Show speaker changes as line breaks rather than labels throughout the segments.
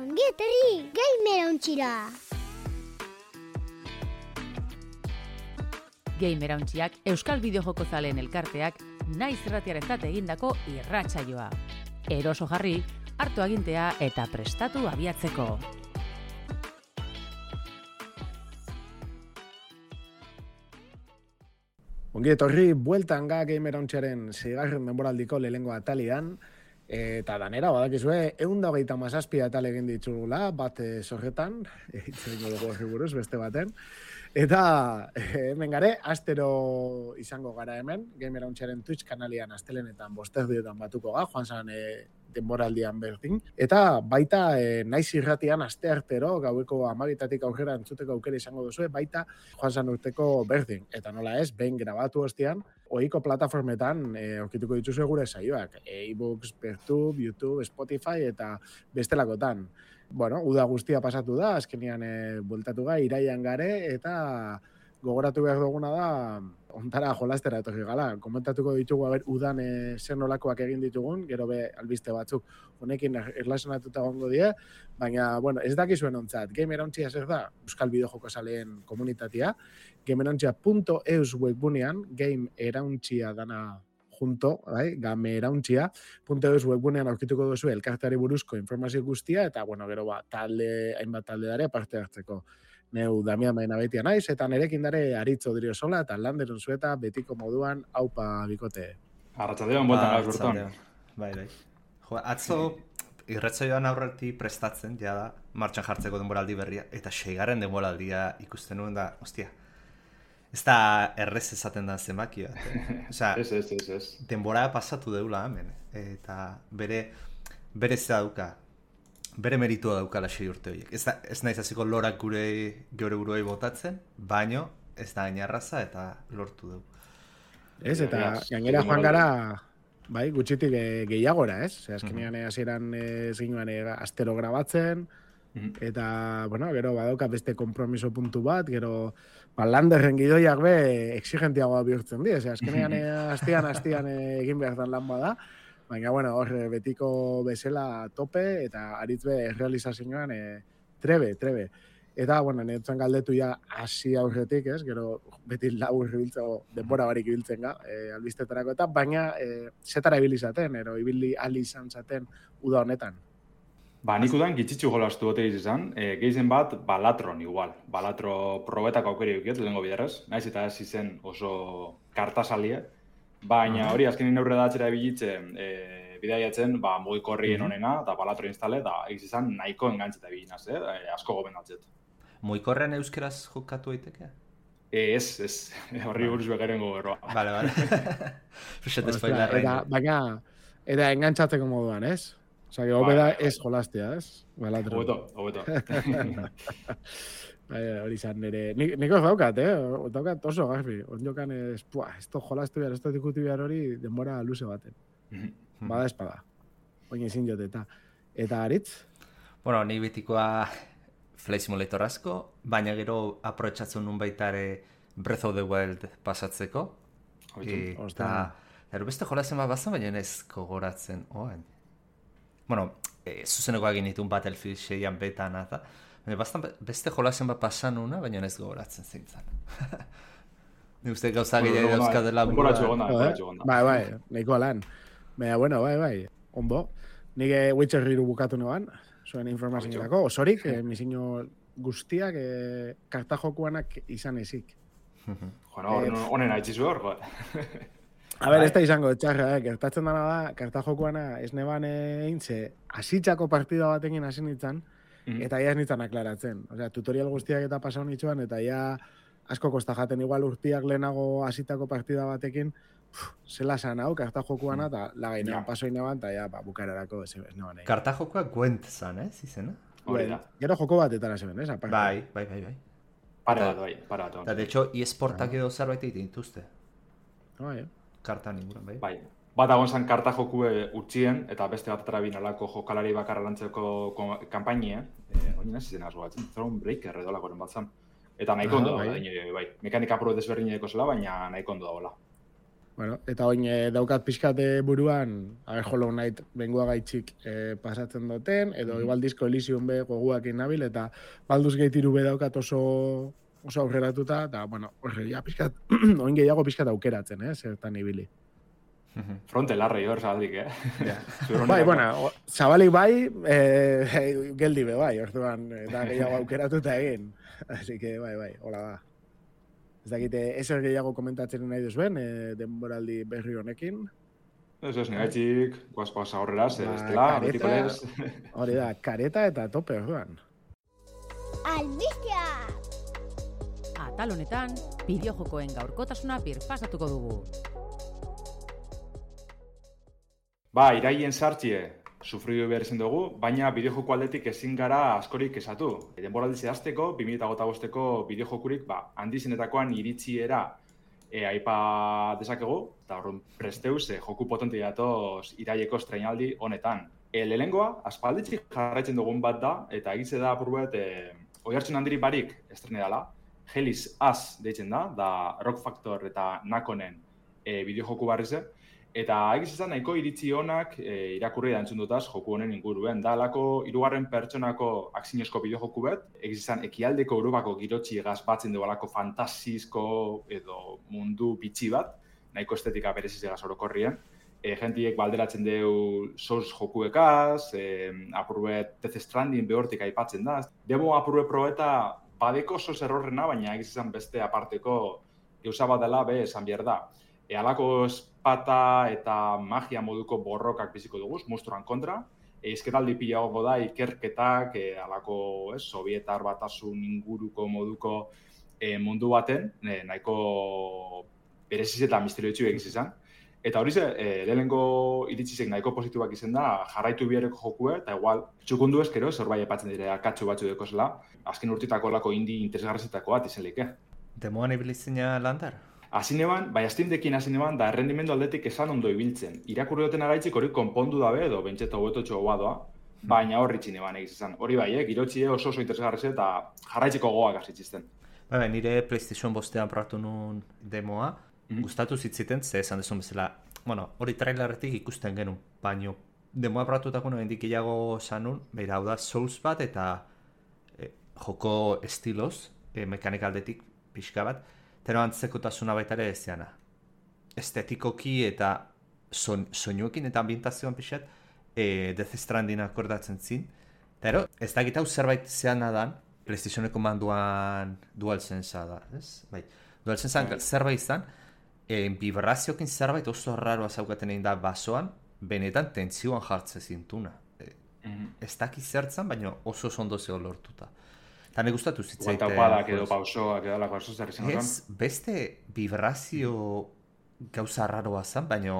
Ongi etorri, Gamerauntxira!
Gamerauntxiak Euskal Bideojoko zaleen elkarteak naiz irratiarentzat egindako irratsaioa. Eroso jarri, hartu agintea eta prestatu abiatzeko.
Ongi etorri, bueltan ga Gamerauntxiaren zigarren denboraldiko lehengo atalian, eta danera, badakizue, 127 atal egin ditugula, bat zorretan, itzen dugu horri buruz, beste baten, eta hemen gare, astero izango gara hemen, Gamerauntxiaren Twitch kanalian astelenetan bosterdiotan batuko ga, joan zan denboraldian berdin, eta baita naiz irratian asteartero, gaueko 12 aurrera entzuteko aukera izango duzue, baita joan zan urteko berdin, eta nola ez, behin grabatu ostean, ohiko plataformetan aurkituko dituzue gure saioak, e-books, Pertube, YouTube, Spotify eta bestelakotan. Bueno, uda guztia pasatu da, azkenian bueltatu ga, iraian gare, eta gogoratu behar duguna da, ontara jolastera etorri gala. Komentatuko ditugu, udan zer nolakoak egin ditugun, gero be albiste batzuk honekin erlazionatuta gongo die, baina, bueno, ez dakizuen ontzat, Gamerantzia zer da, Euskal Bideojoko zaleen komunitatea, gamerantzia.eus webbunean, Gamerantzia dana junto, bai, Gamerantzia.eus webbunean aurkituko duzu elkarteari buruzko informazio guztia, eta, bueno, gero hainbat talde dare parte hartzeko. Neu Damian Baina betia naiz, eta nerekin dare Aritzo Driosola, eta Landeron Zueta, betiko moduan, aupa bikote.
Arratsaldeon, bueltan gauz berton.
Bai. Jo, atzo irratsaioan aurretik prestatzen, ja da, martxan jartzeko denboraldi berria, eta 6. denboraldia ikusten nuen da, ostia, ez da errez esaten da zenbaki bat. Osea,
Ez.
denbora pasatu deula hemen, eta bere zea dauka, bere meritua daukala 6 urte horiek. Ez naiz hasiko lorak geure buruei botatzen, baino ez da gainarraza eta lortu dugu.
Ez, eta gainera joan gara, bai, gutxitik gehiagora, ez? Azkenean hasieran zinuen astero grabatzen, eta, bueno, gero badauka beste kompromiso puntu bat, gero Landerren gidoiak be exigentiagoa bihurtzen di, azkenean hastian egin behar dan lan bada, baina, bueno, hor betiko bezala tope, eta aritzbe realizazioan trebe. Eta, bueno, netzen galdetu ja hasi aurretik, ez? Gero beti labur ibiltzeko denbora barik ibiltzen ga, albistetarako eta, baina zetara ibilizaten, ibili ali izan zaten uda honetan.
Nik udan gitzitzu jolastu gote izan, gehizen bat Balatron igual. Balatro probetak aukeri eukiet, lehenko bidarrez, naiz eta ez izen oso kartasalia, baina hori azkenin aurre datzera ebilitzen bidaiatzen, mugikorrien honena, eta Balatro instale, eta izan nahiko engantzeta ebilinaz, asko gomendatzet.
Mugikorrean euskeraz jokatu daiteke?
Ez, horri buruz begaren goberroa.
Vale. Fixet spoilerrein.
Baina, eta engantzatzeko moduan, ez? Osa, hobeda ez jolastea, ez? Balatro.
Hobeto.
Hori izan nire... Niko daukat, daukat oso garbi. Onjokan ez jolastu behar, ez ikutu behar hori denbora luze baten. Bada espada. Oin ezin joteta. Eta Aritz?
Bueno, ni betikoa Flight Simulator asko, baina gero aprobetxatzen nun baita ere Breath of the Wild pasatzeko. Eta beste jolazen bat bazan, baina ez gogoratzen. Bueno, zuzeneko egin ditun Battlefield 6an betan, eta baina beste jolazen bat pasan nuna, baina ez gogoratzen zintzen. Ni uste gauza gehiago dauzkadela buruan.
Bai, nahiko lan. Baina, bueno, bai, onbo. Nik Witcher 3 bukatu noan, zuen informazioetako, osorik, misino guztiak kartajokuanak izan ezik.
Honen haitzizu hor,
A ber, ez da izango txarra, gertatzen dana da, kartajokuana ez neban eintze, asitzako partida batekin hasi nintzen, eta ia ez nintzen aklaratzen. Osea, tutorial guztiak eta pasau nitzuan, eta ia asko kosta jaten igual urtiak lehenago hasitako partida batekin, zela zan hau, kartajokuana, eta lagainean pasoi neban, eta ja, bukararako ez neban egin.
Kartajokoa Gwent zan, izena?
Gero joko batetara zeben, ez?
Bai.
Para bat.
Eta, de hecho, eSportak edo zerbait egiten dituzte.
Bai,
Kartan inguran,
bai. Bat agon zan karta jokue utxien, eta beste bat atrabin alako jokalari bakarra lantzeko kampainia, oin ez izena azuatzen, Thronebreaker edo lakoren bat zan. Eta nahiko ondo da, bai. Mekanika pro desberdineko zela, baina nahiko ondo da hola.
Bueno, eta oin daukat pixkat buruan, Hollow Knight bengoa gaitxik pasatzen duten, edo igual Disco Elysium be goguakin nabil, eta Baldur's Gate 3 be daukat oso aurreratuta, eta, bueno, ja pixkat, oin gehiago pixkat aukeratzen, zertan ibili.
Fronte larrei hor zabaldik,
Bai, bueno, zabalik bai, geldi be bai, orduan, da gehiago aukeratuta egin. Así que, bai, hola da. Ez dakite, ezer gehiago komentatzen nahi duzuen, denboraldi berri honekin.
Ez negaitxik, guazpaz aurrera, estela, betikoles.
Hori da, kareta eta tope, orduan.
Albistea!
Atal honetan, bideojokoen gaurkotasuna birpasatuko dugu.
Iraien sartxie, sufridu behar izan dugu, baina bideojoko aldetik ezin gara askorik esatu. Denboraldi zehazteko, 2008ko bideojokurik handizenetakoan iritziera aipa dezakegu, eta horren presteuz joku potente datoz iraieko estreinaldi honetan. Lehengoa, aspalditzik jarraitzen dugun bat da, eta egitze da apurbet oihartzun handiri barik estrene dela, Hellis Az deitzen da Rock Factor eta Nakonen bideojoku barrize, eta egizizan nahiko iritzi honak irakurri da entzun dutaz joku honen inguruen. Da alako 3. pertsonako akzinezko bideojoku bet, egizizan ekialdeko Europako girotxi egaz batzen dugu alako fantasizko edo mundu bitxi bat, nahiko estetika bereziz egaz orokorrien. Gentiek balderatzen dugu Souls jokuekaz, apurbet Death Stranding behortik aipatzen da. Demo apurbet probeta badeko Souls errorrena, baina egizizan beste aparteko gauza bat dela esan behar da. Alako espata eta magia moduko borrokak biziko duguz, monstruan kontra. Izketaldi pilago da ikerketak, alako Sovietar batasun inguruko moduko mundu baten, nahiko bereziz eta misterioetxu egiz izan. Eta hori lehenengo iritzizek nahiko positibak izan da, jarraitu bihereko jokue, eta igual, txukundu ezkero, zerbait epatzen dire akatxo batzu deko zela, azken urtitako lako indi interesgarrezetako bat izan lehike.
Demoan ibilizina landar?
Azineban, Steam Deckin azineban, da errendimendu aldetik esan ondo ibiltzen. Irakurri duten agaitzik hori konpondu dabe, edo bentseta huetotxo goa baina horri txineban egiz izan. Hori bai, girotxie oso interesgarrezet eta jarraitzeko goak azitzizten.
Nire PlayStation bostean probatu nun demoa, gustatu zitziten, ze esan dezun bezala, hori trailerretik ikusten genuen, baino demoa probatuetako nuen dikiago sanun, behira hau da Souls bat eta joko estiloz, mekanikaldetik pixka bat, tero antzekotasuna baita ere ezeana. Estetikoki eta soinuekin eta ambientazioan pixat, Death Stranding akordatzen zin. Tero, ez da gitau zerbait zean adan, PlayStationeko manduan DualSense da, ez? Bai, DualSense zerbait izan, vibraziokin zerbait oso raroa zaukaten egin da basoan, benetan tentzioan jartzen zintuna. Ez daki zertzen, baina oso ondo zeo lortuta. Eta ne gustatu zitzaite...
Guantaupadak edo pausoak edo alako arzo zer izan.
Ez, beste vibrazio gauza raroa zen, baina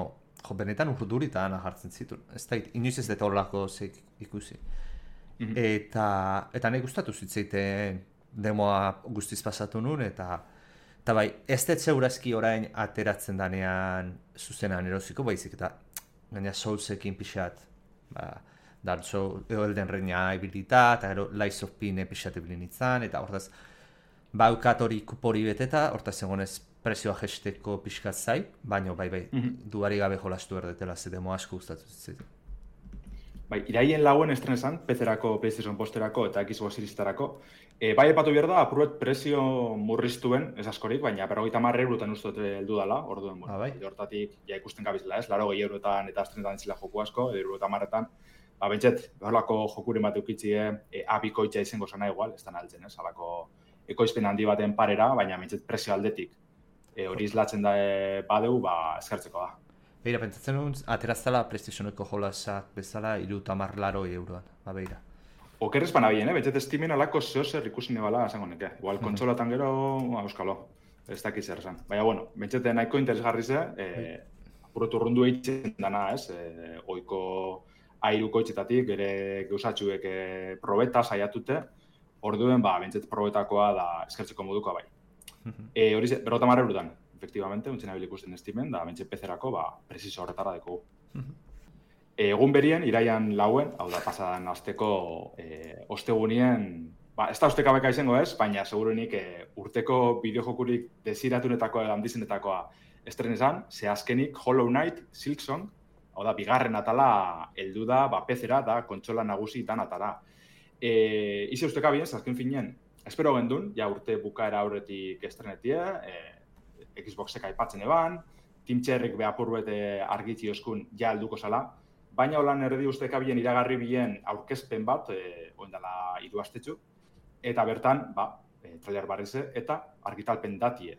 benetan urdurita ana jartzen zituen. Ez da, inoiz ez dut horrelako zeik ikusi. Eta ne gustatu zitzaite demoa guztiz pasatu nun, eta bai, ez dut zeurazki orain ateratzen danean zuzenan erosiko, baizik eta gaina Soulsekin pixat, Dark Souls, Elden Ringa ibilita, eta gero Lies of P pixat ibilin izan, eta hortaz, baukat hori kupori beteta, hortaz egonez prezioa jesteko pixkat zai, baina bai, duari gabe jolastu erdetela, ze demo asko gustatu zitzen.
Bai, iraien lauen estrenesan, PC-erako, PlayStation posterako eta Xbox Series-etarako. Bai, epatu behar da, apurbet prezio murriztuen, ez askorik, baina 50 eurotan uste heldu dela, orduen, hortatik ja ikusten gabizela, ez? 80 eurotan eta estrenetan zila joku asko, 50etan, bentset, behorlako jokuren bat eukitzie, abikoitza izango zana igual, ez da naltzen, ez? Alako ekoizpen handi baten parera, baina bentset prezio aldetik hori izlatzen da badeu, eskertzeko da.
Beira, pentsatzen duen, ateraztala PlayStationeko jolasak bezala 30 euroan, beira.
Okerrez bana bien, bentset Steamen alako zehozer ikusin ebala, esango neke. Igual, kontsolatan gero, euskalo, ez dakiz zer esan. Baina, bueno, bentset nahiko interesgarri ze, apurotu rundu eitzen dana, ez, oiko airuko itxetatik, ere geusatxuek probeta saiatute, orduen, bentset probetakoa da eskertzeko modukoa bai. Hori ze, 50 eurotan. Efectivamente, untzen abil ikusten Steamen, da bentsen PC-erako, presizo horretara deko. Egun berien, iraian lauen, hau da pasadan azteko ostegunien, ez da ostekabeka izango ez, baina seguruenik urteko bideojokurik desiratunetako edo handizenetakoa estrenezan, ze azkenik Hollow Knight Silksong, hau da, bigarren atala heldu da, PC-era da kontsola nagusitan atara. Ize usteka bien, azken finean, espero gendun, ja urte bukaera aurretik estrenetie, Xboxek aipatzen eban, Tim Cherryk behapurbete argitzi oskun ja helduko zala, baina holan erdi usteka bien iragarri bien aurkezpen bat, oindala 3 astetxu, eta bertan, trailer barrize, eta argitalpen datie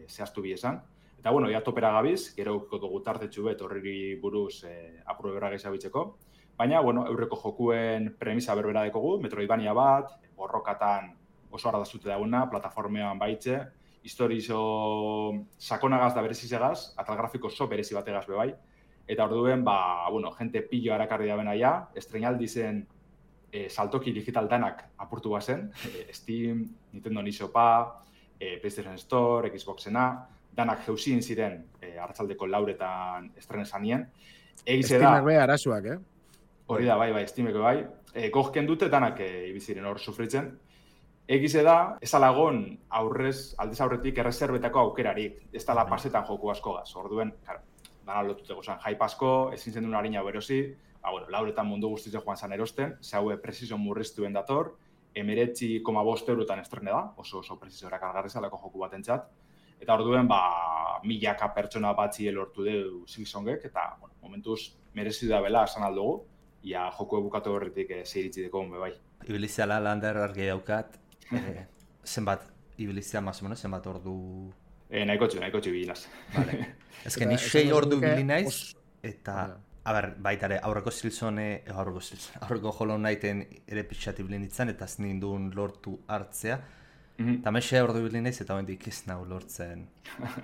zehaztu bi esan. Eta, bueno, ja topera gabiz, gero ukiko dugu tartetxu bet horriri buruz apurbe berra gehiabitzeko. Baina, bueno, eurreko jokuen premisa berbera dekogu, Metroidvania bat, borrokatan oso ardazute dagoena, plataformean baitze, historizo sakonagaz da berezizegaz, atal grafiko oso berezi bategaz bebai. Eta orduen, bueno, gente pillo harakarri da bena ja, estrenaldi zen saltoki digital danak apurtu bazen, Steam, Nintendo Nisopa, PlayStation Store, Xboxena, danak jeuzin ziren hartzaldeko lauretan estrenezanien.
Steamek bai arazuak,
Hori da, bai, Steamek bai. Gozken dute danak ibiziren hor sufritzen. Egize da, ez alagon aldez aurretik erreserbetako aukerarik, ez dala pasetan joku asko gaz. Orduen, dana lotuteko zen hype asko, ezin zen duen harina berosi, bueno, lauretan mundu guztize joan zan erosten, ze haue precision murriztuen dator, 19,5 eurotan estrene da, oso preciso erakargarri zalako joku batentzat. Eta orduen, milaka pertsona batzi lortu deu Silksongek, eta, bueno, momentuz merezi da bela esan aldugu, ia joku ebukatu horretik zeiritzi deko honbe bai.
Ibiliziala lander argi daukat, zenbat ibilizia, más o menos, zenbat ordu...
Nahikotxu bilinaz.
Vale. Ez que ni 6 ordu bilinaiz, eta... baitare, aurreko Hollow Knighten ere pixati bilinitzen, eta ez nindun lortu hartzea. Eta mexe ordu bilinaiz, eta hendik ez nahu lortzen.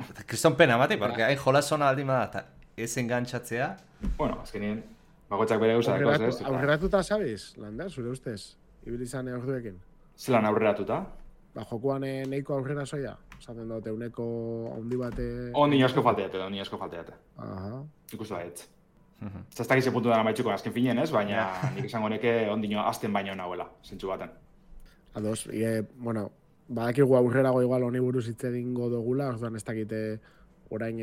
Eta kriston pena mati, porque hain jolasona aldi da, eta ez engantzatzea.
Bueno, azkenien, bagotzak bere gauza dakoz, ez?
Aurreratuta, sabiz, Lander, zure ustez? Ibilizan orduekin?
Zelan aurreratuta?
Jokuan neiko aurrera soia? Zaten dute, uneko handi bate...
Ondino asko falteate.
Aha.
Ikustu da, ez. Zaztak ize puntu dara maitxuko azken finen, ez? Baina nik esango neke ondino azten baino nahuela, zentsu baten.
Ados, bueno, badakigu aurrerago igual honi buruz hitz egingo dugula, orduan ez dakite orain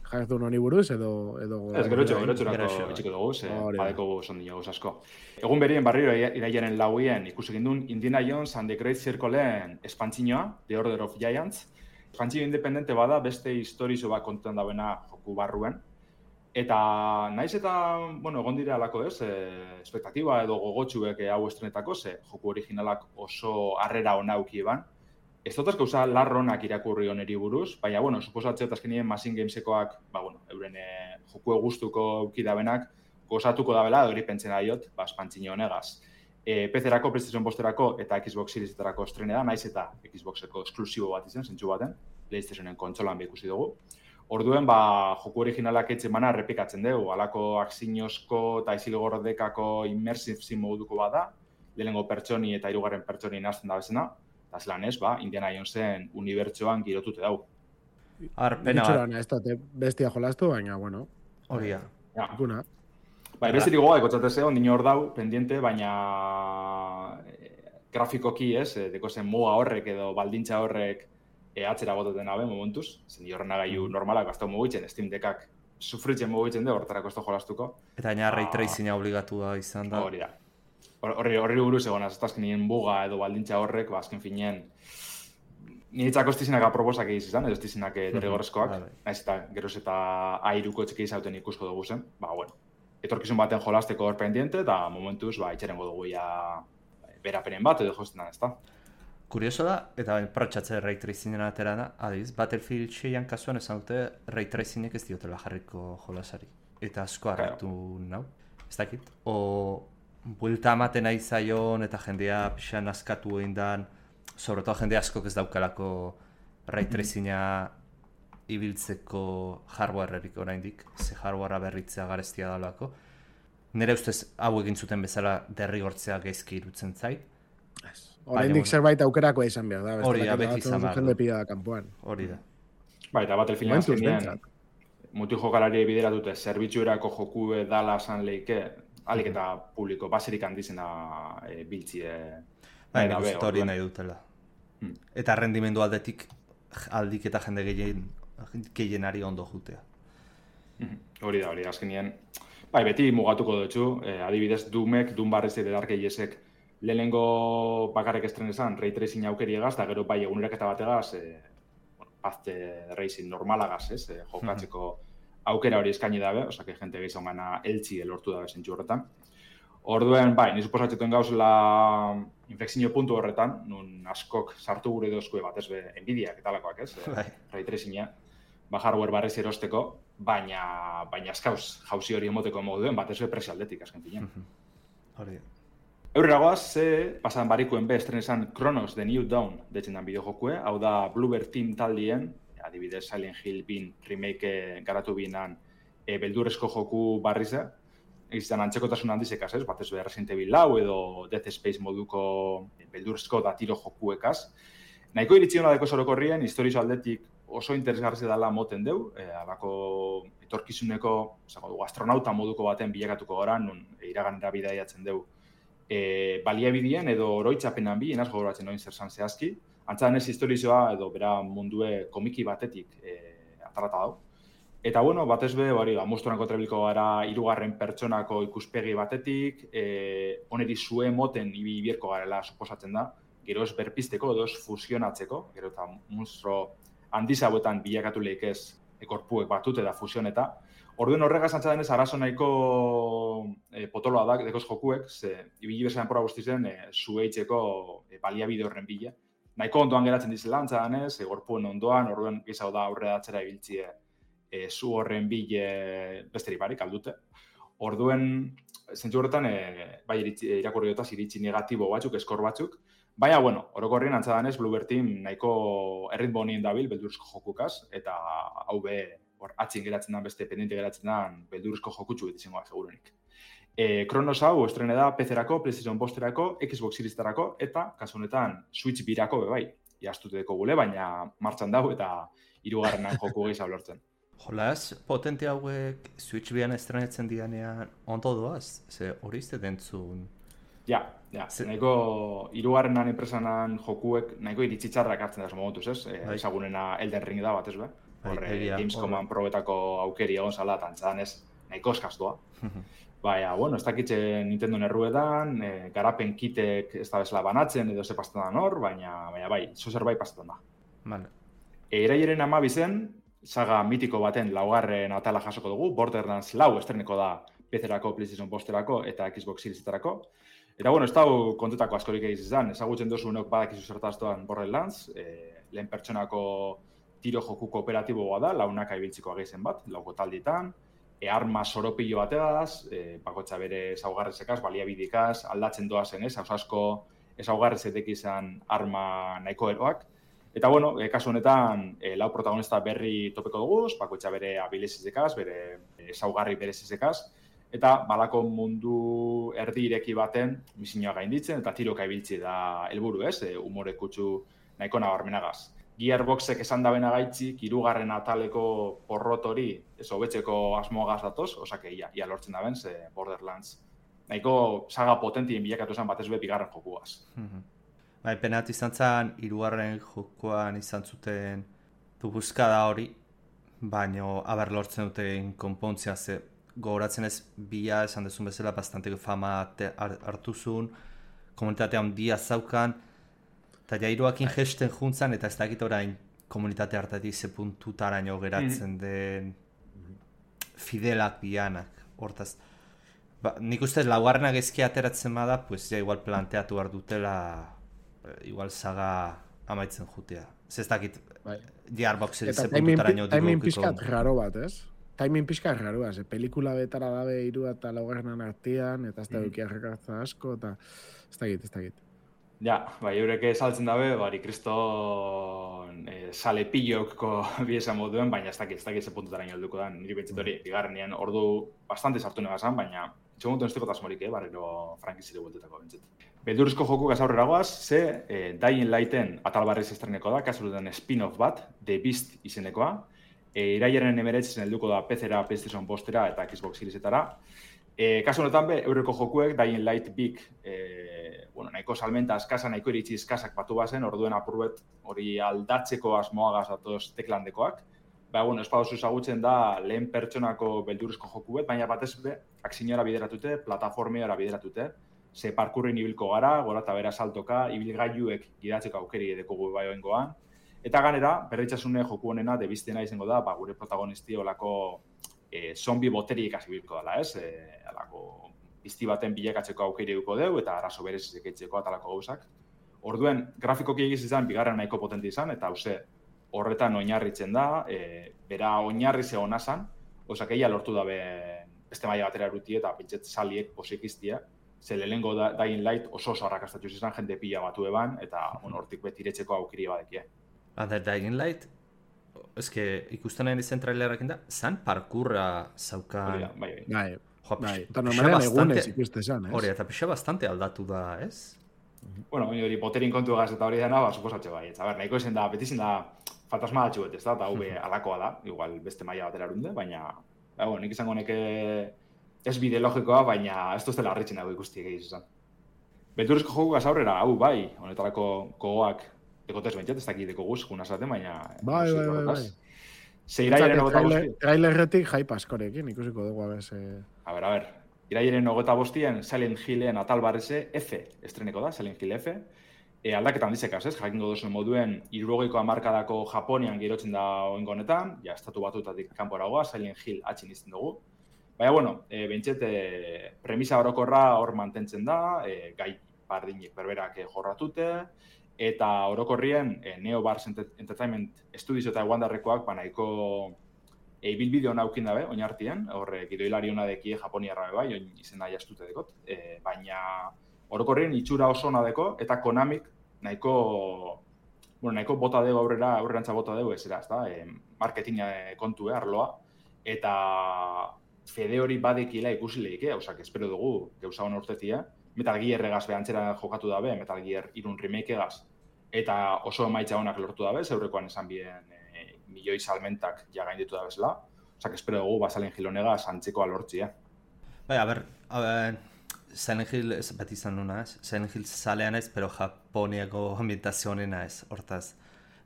jarretun honi buruz, edo...
Ez, gerotxurako etxiko dugu, badeko ondino guz asko. Egun berien barriro iraiaren lauien ikusi gindun Indiana Jones and the Great Circleen espantzinoa, The Order of Giants. Espantzino independente bada beste historizo bat kontuan dauena joku barruen. Eta naiz eta, bueno, egon dire alako ez, espektatiba edo gogotxuek hau estrenetako, ze joku originalak oso harrera honauki eban. Ez dut gauza larronak irakurri oneri buruz, baina, bueno, suposatzea eta azkenien Machine Gamesekoak, euren joku gustuko aukidabenak, gozatuko da bela, hori pentzen daiot, espantzino honegaz. PC-erako, PlayStation Posterako eta Xbox Seriesetarako estrene da, naiz eta Xboxeko esklusibo bat izan, zentsu baten, PlayStationen kontsolan ikusi dugu. Orduen, joku originalak etxe mana errepikatzen dugu, alako aksinozko eta izilgordekako immersive sim moduko bada, lehenengo pertsoni eta hirugarren pertsoni nazten da bezena, eta zelan ez, Indiana Jonesen unibertsoan girotute dau.
Pena bat.
Ez dute bestia jolastu, baina, bueno.
Hori da.
Ikuna.
Bestirik goga, ekotzateze, ondino hor dau, pendiente, baina grafikoki ez, deko zen muga horrek edo baldintza horrek atzera gototen abe, momentuz. Zen horrena gaiu normalak gaztau mugitzen, Steam Deckak sufritzen mugitzen de, horretarako ez da jolastuko.
Eta baina ray tracinga obligatua izan da.
Hori da. Horri buruz egon, azkenien buga edo baldintza horrek, azken finien, niretzako ez dizinak aproposak egizizan, edo ez dizinak derrigorrezkoak, naiz eta geroz eta airuko txeke izauten ikusko dugu zen, bueno, etorkizun baten jolasteko hor pendiente, eta momentuz, itxerengo dugu ja berapenen bat, edo jozten da, ez da.
Kurioso da, eta protxatze ray tracingen atera da, adiz, Battlefield 6an kasuan esan dute ray tracinek ez diotela jarriko jolasari. Eta asko harratu nau, ez dakit. Buelta amaten nahi zaion eta jendea pixan askatu egin dan, sobretoa jende askok ez daukalako ray tracinga ibiltzeko hardwarerik oraindik, ze hardwarea berritzea garestia dalako. Nire ustez hau egin zuten bezala derrigortzea gaizki irutzen zait.
Oraindik zerbait aukerako izan behar da.
Hori da, beti izan behar
du.
Hori da.
Eta Battlefield azkenean, muti jokalari bideratute, zerbitzuerako joku dala esan leike, alik eta publiko, baserik handizena biltzie.
Nik uste hori nahi dutela. Eta rendimendu aldik eta jende gehien gehienari ondo jutea.
Hori da, azkenien. Bai, beti mugatuko dutxu, adibidez, Doom barrez edo Dark Agesek lehenengo bakarrik estrenezan ray tracing aukeri egaz, da gero bai eguneraketa bategaz, Path Racing normalagaz, jokatzeko aukera hori eskaini dabe, osea, que jente gehiago gana eltsi elortu dabe zentzu horretan. Orduen, bai, ni suposatzetan gauzela infekzio puntu horretan, nun askok sartu gure dozkue bat, ez be, Nvidiak eta alakoak, ez? Ray tracinga, hardware barrez erosteko, baina askauz jauzi hori emoteko moduen, bat ez be presio aldetik, azken finean.
Hori.
Eureragoaz, pasan barikuen estrenezan Chronos The New Dawn detzen dan bideojokue, hau da Bluebird Team taldien, adibidez Silent Hill bin remake garatu binan beldurrezko joku barriza, egizan antzekotasun handizekaz, ez? Batez be Resident Evil 4 edo Dead Space moduko beldurrezko da tiro jokuekaz. Nahiko iritsi hona deko sorokorrien, historizo aldetik oso interesgarri dela moten deu, alako etorkizuneko, astronauta moduko baten bilakatuko gara, nun iraganera bidaiatzen deu, baliabidien edo oroitzapenan bi, enaz gogoratzen noin zer zan zehazki, antzadanez historizoa edo bera mundue komiki batetik atarata dau. Eta, bueno, batez be, amusturako trebiliko gara hirugarren pertsonako ikuspegi batetik, oneri zue moten ibierko garela suposatzen da, gero ez berpisteko edo ez fusionatzeko, gero eta monstro handiz hauetan bilakatu lehikez ekorpuek batut eta fusioneta. Orduen horregaz antzadenez, arazo nahiko potoloa da, dekoz jokuek, ze ibili bezan pora guztizen zueitzeko baliabide horren bila. Nahiko ondoan geratzen dizela antzadenez, gorpuen ondoan, orduen gizau da aurre datzera ibiltzie zu horren bile besteri barik aldute. Orduen, zentzu horretan, bai irakurri dutaz iritsi negatibo batzuk, eskor batzuk, baina, bueno, orokorrien antzadanez, Bluebird Team nahiko erritmo honien dabil beldurrezko jokukaz, eta hau be, atzin geratzen den, beste pendiente geratzen den, beldurrezko jokutsu izango da, segurunik. Chronos hau estrene da PC-erako, PlayStation Posterako, Xbox Series-erako, eta, kasu honetan, Switch birako bai, iaztuteko gule, baina martxan dau eta hirugarrenan joku gehiago lortzen.
Jolaz, potente hauek Switch bian estrenetzen dianean ondo doaz? Ze hori izte dentzun?
Ja, nahiko hirugarrenan enpresanan jokuek nahiko iritzitxarrak hartzen da momotuz, ez? Ezagunena Elden Ring da bat, ez be? Horre, Gamescoman probetako aukeri egon zala, tantzadan ez, nahiko eskaz doa. Baina, bueno, ez dakitxe Nintendo erruetan, garapen kitek ez da bezala banatzen edo ze pastetan da nor, baina bai, zozer bai pastetan da.
Vale.
Irailaren 12 saga mitiko baten laugarren atala jasoko dugu, Borderlands 4 estreneko da PC-erako, PlayStation Posterako eta Xbox Series-etarako. Eta, bueno, ez dago kontetako askorik egiz izan, ezagutzen dozu unok badakizu zertaztoan Borderlands, lehen pertsonako tiro joku kooperatiboa da, launaka ibiltziko ageizen bat, lauko taldietan, arma soropillo bategaz, bakotxa bere ezaugarrezekaz, baliabidikaz, aldatzen doazen ez, asko ezaugarrezetek izan arma nahiko eroak. Eta, bueno, kasu honetan, lau protagonista berri topeko dugu, bakoitza bere abilezizekaz, bere ezaugarri berezizekaz, eta balako mundu erdi ireki baten misioa gainditzen, eta tiroka ibiltzi da helburu ez, umore kutsu nahiko nabarmenagaz. Gearboxek esan dabena gaitzik, hirugarren ataleko porrot hori, ez hobetzeko asmoagaz datoz, osake ia lortzen daben, ze Borderlands nahiko saga potentien bilakatu zen batez be bigarren jokuaz.
Bai, penatu izan zen, hirugarren jokoan izan zuten buskada hori, baino aber lortzen duten konpontzia ze gogoratzen ez bia esan dezun bezala bastante fama hartu zuen, komunitatea handia zaukan, eta ja hiruakin gesten juntzan, eta ez dakit orain komunitate hartatik ze puntutaraino geratzen den fidelak bianak, hortaz. Nik ustez laugarrenak ezki ateratzen bada, pues ja igual planteatu behar dutela igual saga amaitzen jutea. Ez dakit, Gearboxen ze puntutaraino dugu.
Timing pixkat raro bat, ez? Timing pixkat raro bat, pelikula betara dabe hiru eta laugarrenan artean, eta ez da dukia rekartza asko, eta ez dakit.
Ja, bai, eureke saltzen dabe, bari kriston sale pillokko biesan moduen, baina ez dakit ze puntutaraino helduko da, niri bentzit hori, bigarrenean ordu bastante sartu negazan, baina txeguntu nesteko tasmorik, barriro frankizire bueltetako bentzit. Beldurrezko joku aurreragoaz, ze Dying Lighten atal barriz estreneko da, kasurutan spin-off bat, The Beast izenekoa. Irailaren 19 helduko da PC-era, PlayStation Postera eta Xbox Series-etara. Kasu honetan be, eureko jokuek Dying Light Big, nahiko salmenta askasa, nahiko iritsi eskasak batu bazen, orduen apurbet hori aldatzeko asmoagaz datoz teklandekoak. bueno, ez padozu ezagutzen da lehen pertsonako beldurrezko joku bet, baina batez be, akziniora bideratute, plataformiara bideratute, ze parkurrin ibilko gara, gora eta bera saltoka, ibilgailuek gidatzeko aukeri edekogu bai oengoan. Eta ganera, berritxasune joku honena debiztena izango da, gure protagonisti olako zombi boteriek ibilko dela, ez? Alako pizti baten bilakatzeko aukeri eduko deu, eta arazo berez ekeitzeko atalako gauzak. Orduen, grafikoki egiz izan, bigarren nahiko potente izan, eta hauze, horretan oinarritzen da, bera oinarri zegona zan, osak egia lortu da beste maila batera eruti eta pentset saliek posik iztia, ze lehengo Dying Light oso arrakastatuz izan, jende pila batu eban, eta hortik betiretzeko aukiri badekie.
Dying Light, eske ikusten nahi zen trailerrekin da, zan parkurra zaukan...
Bai. Eta normalean egunez ikuste zan, ez?
Hori, eta pixa bastante aldatu da, ez?
Bueno, hori boterin kontu egaz eta hori dena, suposatxe bai. Eta nahiko izan da, beti izan da fantasma datxu bet, ez da? Eta hau alakoa da, igual beste maila batera erunde, baina... nik izango neke ez bide logikoa, baina ez duztela harritzen dago ikusti egiz izan. Beturrezko joku aurrera, hau bai, honetarako gogoak ekotez bentzat, ez dakideko guz, juna zaten, baina...
Bai.
Iraiaren 25.
Trailerretik hype askorekin, ikusiko dugu abez...
A ver. Iraiaren 25 Silent Hillen atal barreze F estreneko da, Silent Hill F. Aldaketan dizekaz, ez? Jakingo duzuen moduen 60ko hamarkadako Japonian girotzen da oingo honetan, ja estatu batutatik kanporagoa, Silent Hill atxin izten dugu. Baina, bueno, bentset, premisa orokorra hor mantentzen da, gai bardinek berberak jorratute, eta orokorrien Neo Bars Entertainment Studios eta Wanderrekoak nahiko bilbide hona aukin dabe, oinartien, horre gidoilari hona dekie Japoniarra bai, oin izena jastute dekot, baina orokorrien itxura oso hona deko, eta Konamik nahiko bota dugu aurrerantza bota dugu ez da, marketing kontu arloa, eta fede hori badekila ikusi lehike, hausak, espero dugu, gauza hona urtetia, Metal Gear egaz behantzera jokatu dabe, Metal Gear 3 remake egaz, eta oso emaitza honak lortu dabe, zeurekoan esan bien milioi salmentak ja gainditu da bezala. Osak, espero dugu, Silent Hill honega santzekoa lortzia.
Bai, a ber, Silent Hill bat izan nuna ez. Silent Hill zalean ez, pero Japoniako ambientazio honena ez. Hortaz,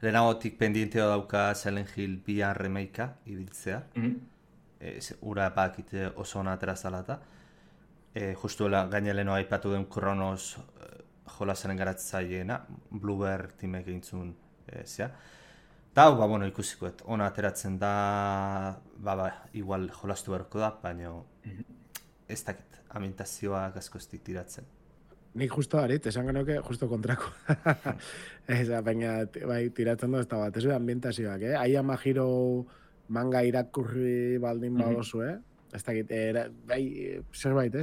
lehenagotik pendienteo dauka Silent Hill 2 remakea ibiltzea. Ura bakite oso hona aterazalata. Justuela gaineleno aipatu den Kronos jolasaren garatzaileena, Bluebird timek egintzun zea. Eta hau, bueno, ikusikoet, ona ateratzen da, igual jolastu beharko da, baina ez dakit, ambientazioa asko ez tiratzen.
Nik justo harit, esan genuke, justo kontrako. Baina, bai, tiratzen da ez da bat, ez da ambientazioak, Aia Mahiro manga irakurri baldin badozu, ez dakit, bai, zerbait,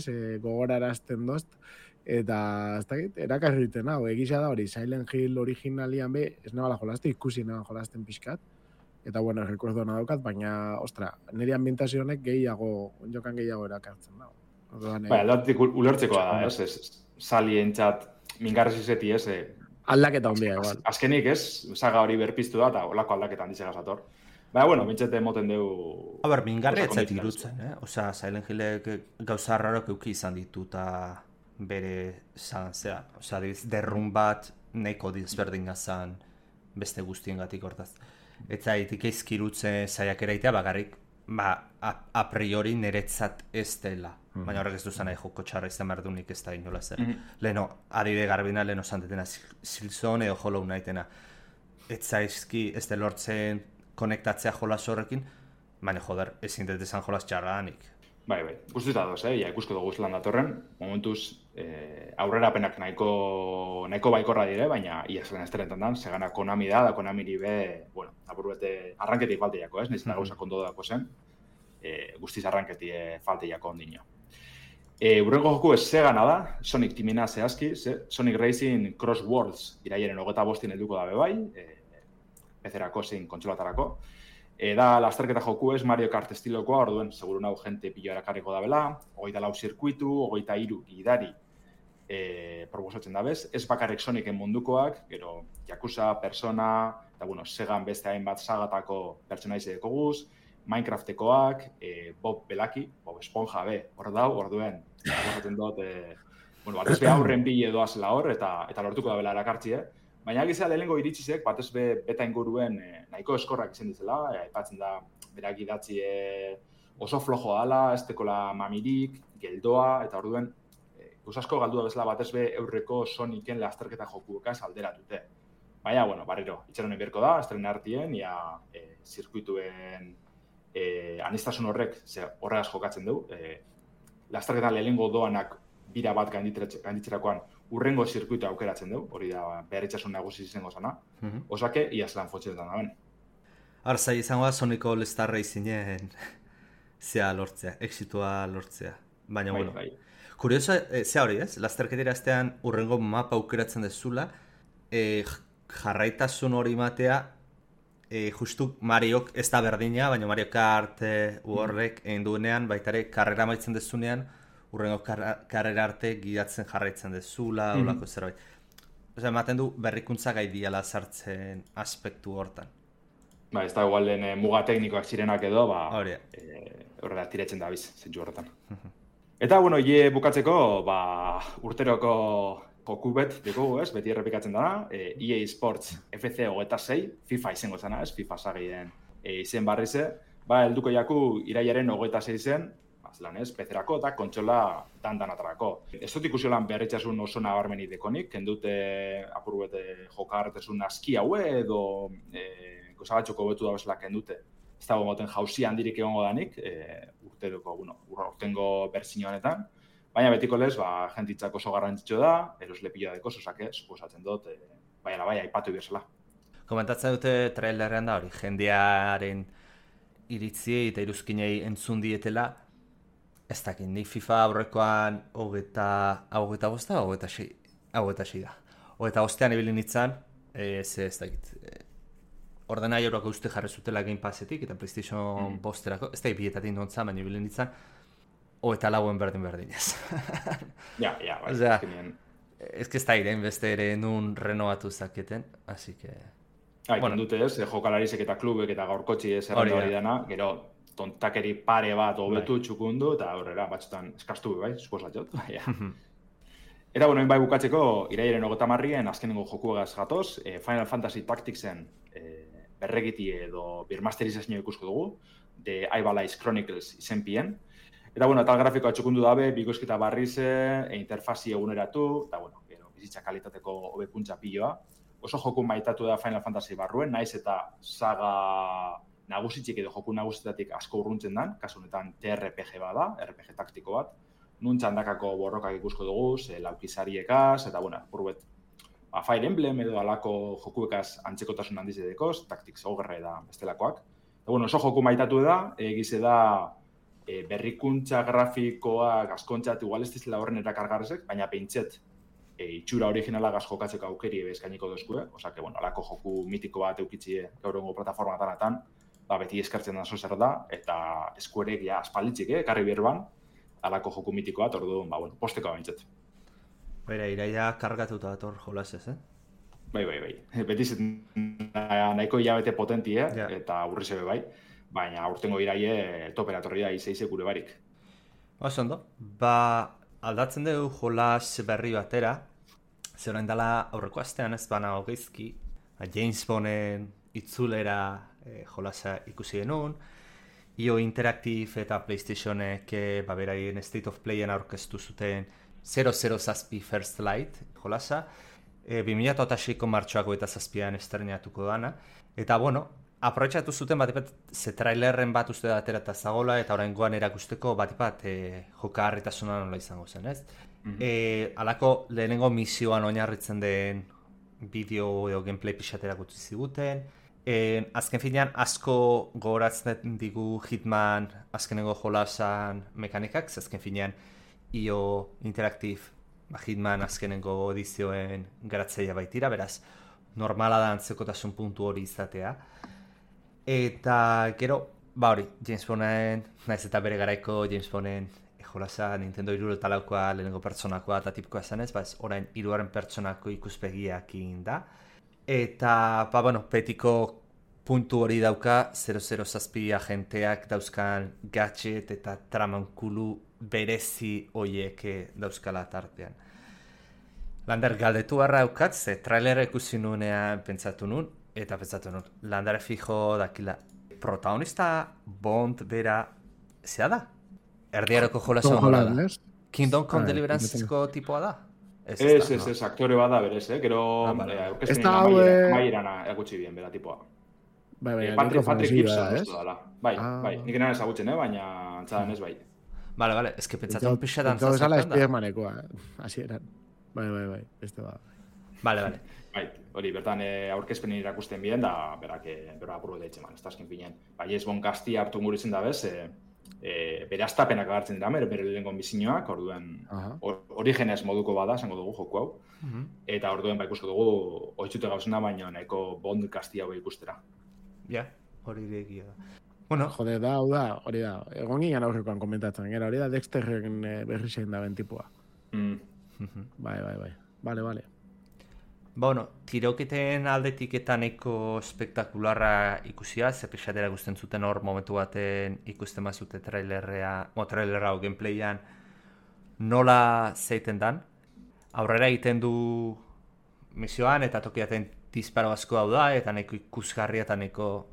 gogorarazten dozt, eta ez dakit, erakarriten hau, egisa da hori, Silent Hill originalian be, ez nabala jolaste, ikusi nabala jolasten pixkat, eta bueno, rekordo nadokat, baina, ostra, nire ambientazio honek jokan gehiago erakartzen da.
Bai, aldatik ulertzekoa da, ez, salientzat, mingarrez izeti, ez,
aldaketa ondia, igual.
Azkenik, ez, saga hori berpiztu da, eta olako aldaketan dizega zator. Baina, bueno, bintzete moten dugu...
A ber, mingarri etzait irutzen, Osea, Silent Hillek gauza rarok euki izan ditu, eta bere zea. Osea, derrun bat nahiko dizberdin gazan beste guztiengatik hortaz. Eta itik eizkirutzen zaiak eraitea bagarrik, a priori niretzat ez dela. Baina horrek ez duzan nahi joko txarra izan behar dunik ez da inola zer. Leheno, adide garbina, leheno zantetena Silksong edo Hollow Knightena. Ez zaizki ez de lortzen konektatzea jolas horrekin, baina joder, ezin dut esan jolas txarra danik.
Bai, guztuta doz, ja ikusko dugu zelan datorren, momentuz aurrerapenak nahiko baikorra dire, baina ia zelen esterentan dan, segana Konami da Konamiri be, bueno, apur bete arranketik falteiako, ez? Nizena gauzak ondo dako zen, guztiz arranketik falteiako ondino. Urrengo joku ez Segana da, Sonic timina zehazki, Sonic Racing Cross Worlds iraiaren 25 helduko dabe bai, PC-erako zein kontsolatarako. Da, lasterketa joku ez Mario Kart estilokoa, orduen, seguru nahu jente pilo erakarriko da bela, 24 zirkuitu, 23 gidari proposatzen da bez, ez bakarrik Sonicen mundukoak, gero Yakuza, Persona, eta bueno, Segan beste hainbat sagatako pertsonaize dekoguz, Minecraftekoak, Bob Belaki, Bob Esponja be, hor dau, orduen, proposatzen dut, batez be aurren bile doazela hor, eta lortuko da bela erakartzie, Baina gizea lehenengo iritsizek, batez beta inguruen nahiko eskorrak izan ditzela, aipatzen da berak idatzi oso flojoa ala, ez tekola mamirik, geldoa, eta orduen asko galdua bezala batez eurreko Sonicen lasterketa jokuekaz alderatute. Baina, bueno, barriro, itxaronen berko da, estrena hartien, zirkuituen anistasun horrek horregaz jokatzen du. Lasterketan lehenengo doanak bira bat gainditzerakoan urrengo zirkuitu aukeratzen du, hori da beharritzasun nagusi izango zana. Osake, iazlan fotxetan da ben.
Arzai izango da Sonico All-Star Racingen zea lortzea, exitua lortzea. Baina, bueno, kurioso, zea hori ez? Lasterketera aztean urrengo mapa aukeratzen dezula, jarraitasun hori matea, justu Mariok ez da berdina, baina Mario Kart horrek egin duenean, baitare karrera maitzen dezunean, urrengo karrera arte gidatzen jarraitzen dezula, olako zerbait. Osa, ematen du berrikuntza gai diala sartzen aspektu hortan.
Ba, ez da igual muga teknikoak zirenak edo, horrela tiretzen da biz, zentsu horretan. Eta, bueno, bukatzeko, urteroko jokubet dugu, ez, beti errepikatzen dana, EA Sports FC 26, FIFA izango zana, ez, FIFA sagien izen barrize, helduko jaku irailaren 26 zen, zelan ez, pezerako eta kontsola dan-danatarako. Ez dut ikusi lan beharritzasun oso nabarmeni dekonik, kendute apurbete jokartesun aski haue edo gozabatxoko betu da bezala kendute. Ez dago moten jauzi handirik egongo danik, urtengo berzino honetan, baina betiko lez, jentitzak oso garrantzitsu da, eroslepila deko, zozake, suposatzen dut, bai, aipatu bezala.
Komentatzen dute trailerrean da hori, jendearen iritziei eta iruzkinei entzun dietela, ez dakit, nik FIFA aurrekoan 25 da, 26 da. 25 ibili nintzen, ez dakit, ordenai euroako uste jarri zutela Game Passetik eta PlayStation bosterako, ez da bietatik nontzan, baina ibili nintzen, 24 berdin ez.
Ja, bai.
Osea, ez que ez da iren beste ere nun renovatu zaketen, así que...
Bueno, dute ez, jokalarizek eta klubek eta gaurkotxi ez errenda hori dana, gero tontakeri pare bat hobetu txukundu eta aurrera batzutan eskastu bai, suposatzot. Eta, bueno, bai bukatzeko, irailaren 30 azkenengo jokuegaz gatoz, Final Fantasy Tacticsen berregiti edo birmasterizazio ikusko dugu, The Ivalice Chronicles izenpien. Eta, bueno, tal grafikoa txukundu dabe, bikoizketa barrize, interfazi eguneratu, eta, bueno, bizitza kalitateko hobekuntza piloa. Oso joku maitatu da Final Fantasy barruen, naiz eta saga nagusitzik edo joku nagusitatik asko urruntzen dan, kasu honetan TRPG bada, RPG taktiko bat, nun txandakako borrokak ikusko dugu, laukizariekaz, eta, bueno, purbet, Fire Emblem edo alako jokuekaz antzekotasun handiz edekoz, Tactics Ogre da bestelakoak. Eta, bueno, oso joku maitatu da, egize da berrikuntza grafikoak askontzat igual ez dizela horren erakargarrezek, baina peintzet itxura originalagaz jokatzeko aukeri eskainiko dozkue, osake, bueno, alako joku mitiko bat eukitzie gaurrengo plataformatanatan, beti eskartzen da zer da, eta eskuerek ja aspalditzik, karri berban, alako joku mitiko bat, orduan, bueno, posteko bintzet.
Baina, iraia kargatuta dator jolasez,
Bai. Beti nahiko hilabete potentie, eta urri zebe bai, baina urtengo iraie toperatorri da izeize gure barik.
Oso ondo, aldatzen dugu jolas berri batera, zer orain dela aurreko astean ez bana hogeizki, James Bonden itzulera jolasa ikusi genuen, IO Interactive eta PlayStationek beraien State of Playen aurkeztu zuten 007 First Light jolasa, 2006ko martxoako eta 7an estrenatuko dana, eta bueno, aprobetxatu zuten bat ze trailerren bat uste da atera eta zagola, eta oraingoan erakusteko bat jokagarritasuna nola izango zen, ez? Alako lehenengo misioan oinarritzen den bideo edo gameplay pixaterak utzi ziguten. Azken finean asko gogoratzen digu Hitman azkenengo jolasan mekanikak, azken finean IO Interactive Hitman azkenengo edizioen garatzaia baitira, beraz normala da antzekotasun puntu hori izatea. Eta gero, hori, James Bonden, naiz eta bere garaiko James Bonden jolasa Nintendo 64koa lehenengo pertsonakoa eta tipikoa esanez, orain 3. pertsonako ikuspegiakin da. Eta, petiko puntu hori dauka 007 agenteak dauzkan gadget eta tramankulu berezi hoiek dauzkala tartean. Lander, galdetu harra eukat, ze trailera ikusi nuenean pentsatu nun, Lander fijo dakila. Protagonista Bond bera, zea da? Erdiaroko jolasa honora da. Kingdom Come Deliverance-ko tipoa da?
Ez, aktore bada berez, gero aurkezpenin amaierana egutsi bien bera tipoa. Patrick Gibson uste dala. Bai, nik enan ezagutzen, baina antzadan ez bai.
Vale, ez que pentsatu pixetan
zazertan da. Entzau esala Spidermanekoa, hasi eran. Bai, beste ba.
Vale.
Bai, hori, bertan aurkezpenin irakusten bien, da berak apurro da itxeman, ez da azken finean. Bai, ez bon Gaztia hartu muritzen da bez, bere astapenak agartzen dira, bere lehenko bizinoak, orduen origenez moduko bada, esango dugu joku hau, eta orduen ikusko dugu oitzute gauzena, baina nahiko Bond Gaztia hau ikustera.
Ja, hori egia da. Bueno,
jode da, hori da, egon ginen aurrekoan komentatzen, hori da Dexterren berri zein da bentipua. Bai. Vale.
Bueno, tiroketen aldetik eta nahiko spektakularra ikusia, ze pixatera guzten zuten hor momentu baten ikusten mazute trailerra o gameplayan nola zeiten dan. Aurrera egiten du misioan eta tokiaten disparo asko hau da, eta nahiko ikusgarria eta nahiko,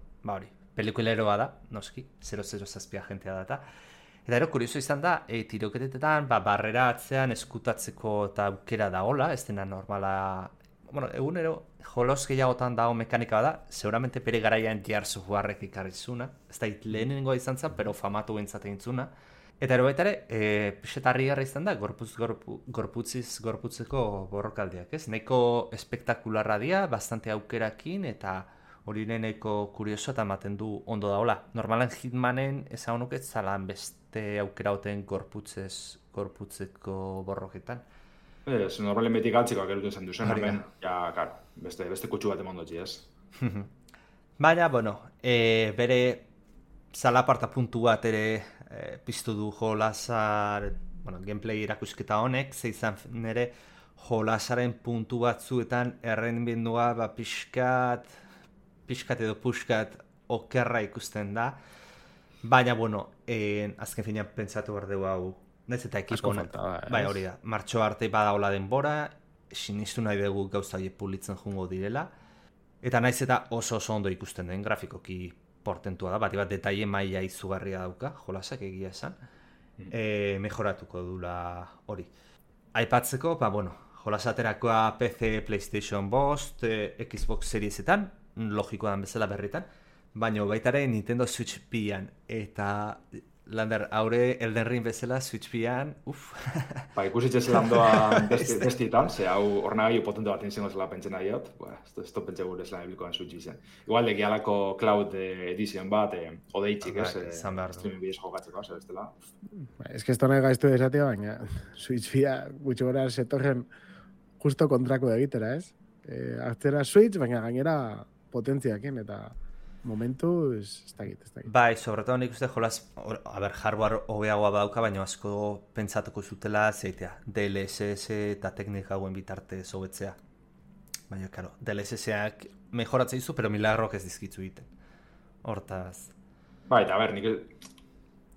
pelikuleroa da, noski, 007 agentea da eta ero, kurioso izan da, tiroketetetan, barrera atzean eskutatzeko eta aukera da hola, ez dena normala. Bueno, egunero, jolos gehiagotan dago mekanika da, seguramente pere garaian Gears of Warrek ikarrizuna, ez da lehenengoa izan zen, pero famatu bentzaten zuna. Eta ero baitare, pixetarri garra izan da, gorputzeko borrokaldiak, ez? Nahiko espektakularra dia, bastante aukerakin, eta hori nahiko kurioso eta ematen du ondo daola. Normalan Hitmanen ezagunuk ez zalan beste aukera hoten gorputzeko borroketan.
Ez, normalen beti galtzikoak eruten zen duzen, hemen, karo, beste kutsu bat emondotzi, ez?
Baina, bere zalaparta puntu bat ere piztu du jolasar, gameplay irakusketa honek, zeizan nire jolasaren puntu batzuetan errendibindua pixkat edo puxkat okerra ikusten da. Baina, azken finean pentsatu behar dugu hau, naiz eta ekipo bai hori da, martxo arte badaola denbora, sinistu nahi dugu gauza horiek pulitzen jungo direla, eta naiz eta oso ondo ikusten den grafikoki portentua da, bat detaile maila izugarria dauka, jolasak egia esan, mejoratuko dula hori. Aipatzeko, jolasaterakoa PC, PlayStation 5, Xbox Seriesetan, logikoan bezala berritan, baina baitare Nintendo Switch P-an, eta Lander, haure Elden Ring bezala Switch P-an,
ikusitxe zelan doan testitan, ze hau ornagailu potente bat inzengo zela pentsen adiot, ez to pentsa gure zelan eblikoan Switch izan. Igual egialako Cloud Edition bat, odeitxik, streaming bidez jokatzeko, ez dela.
Ez que esto nahi gaiztu desatea, baina Switch P-a gutxi gora zetorren justo kontrako egitera, ez? Artzera Switch, baina gainera potentziakin, eta momentu ez dakit.
Bai, sobretoan nik uste jolas, hardware hobeagoa badauka, baina asko pentsatuko zutela zeitea, DLSS eta teknika hauen bitarte zobetzea. Baina, karo, DLSS-ak mejoratzea izu, pero milagrok ez dizkitzu egiten. Hortaz.
Bai, eta nik,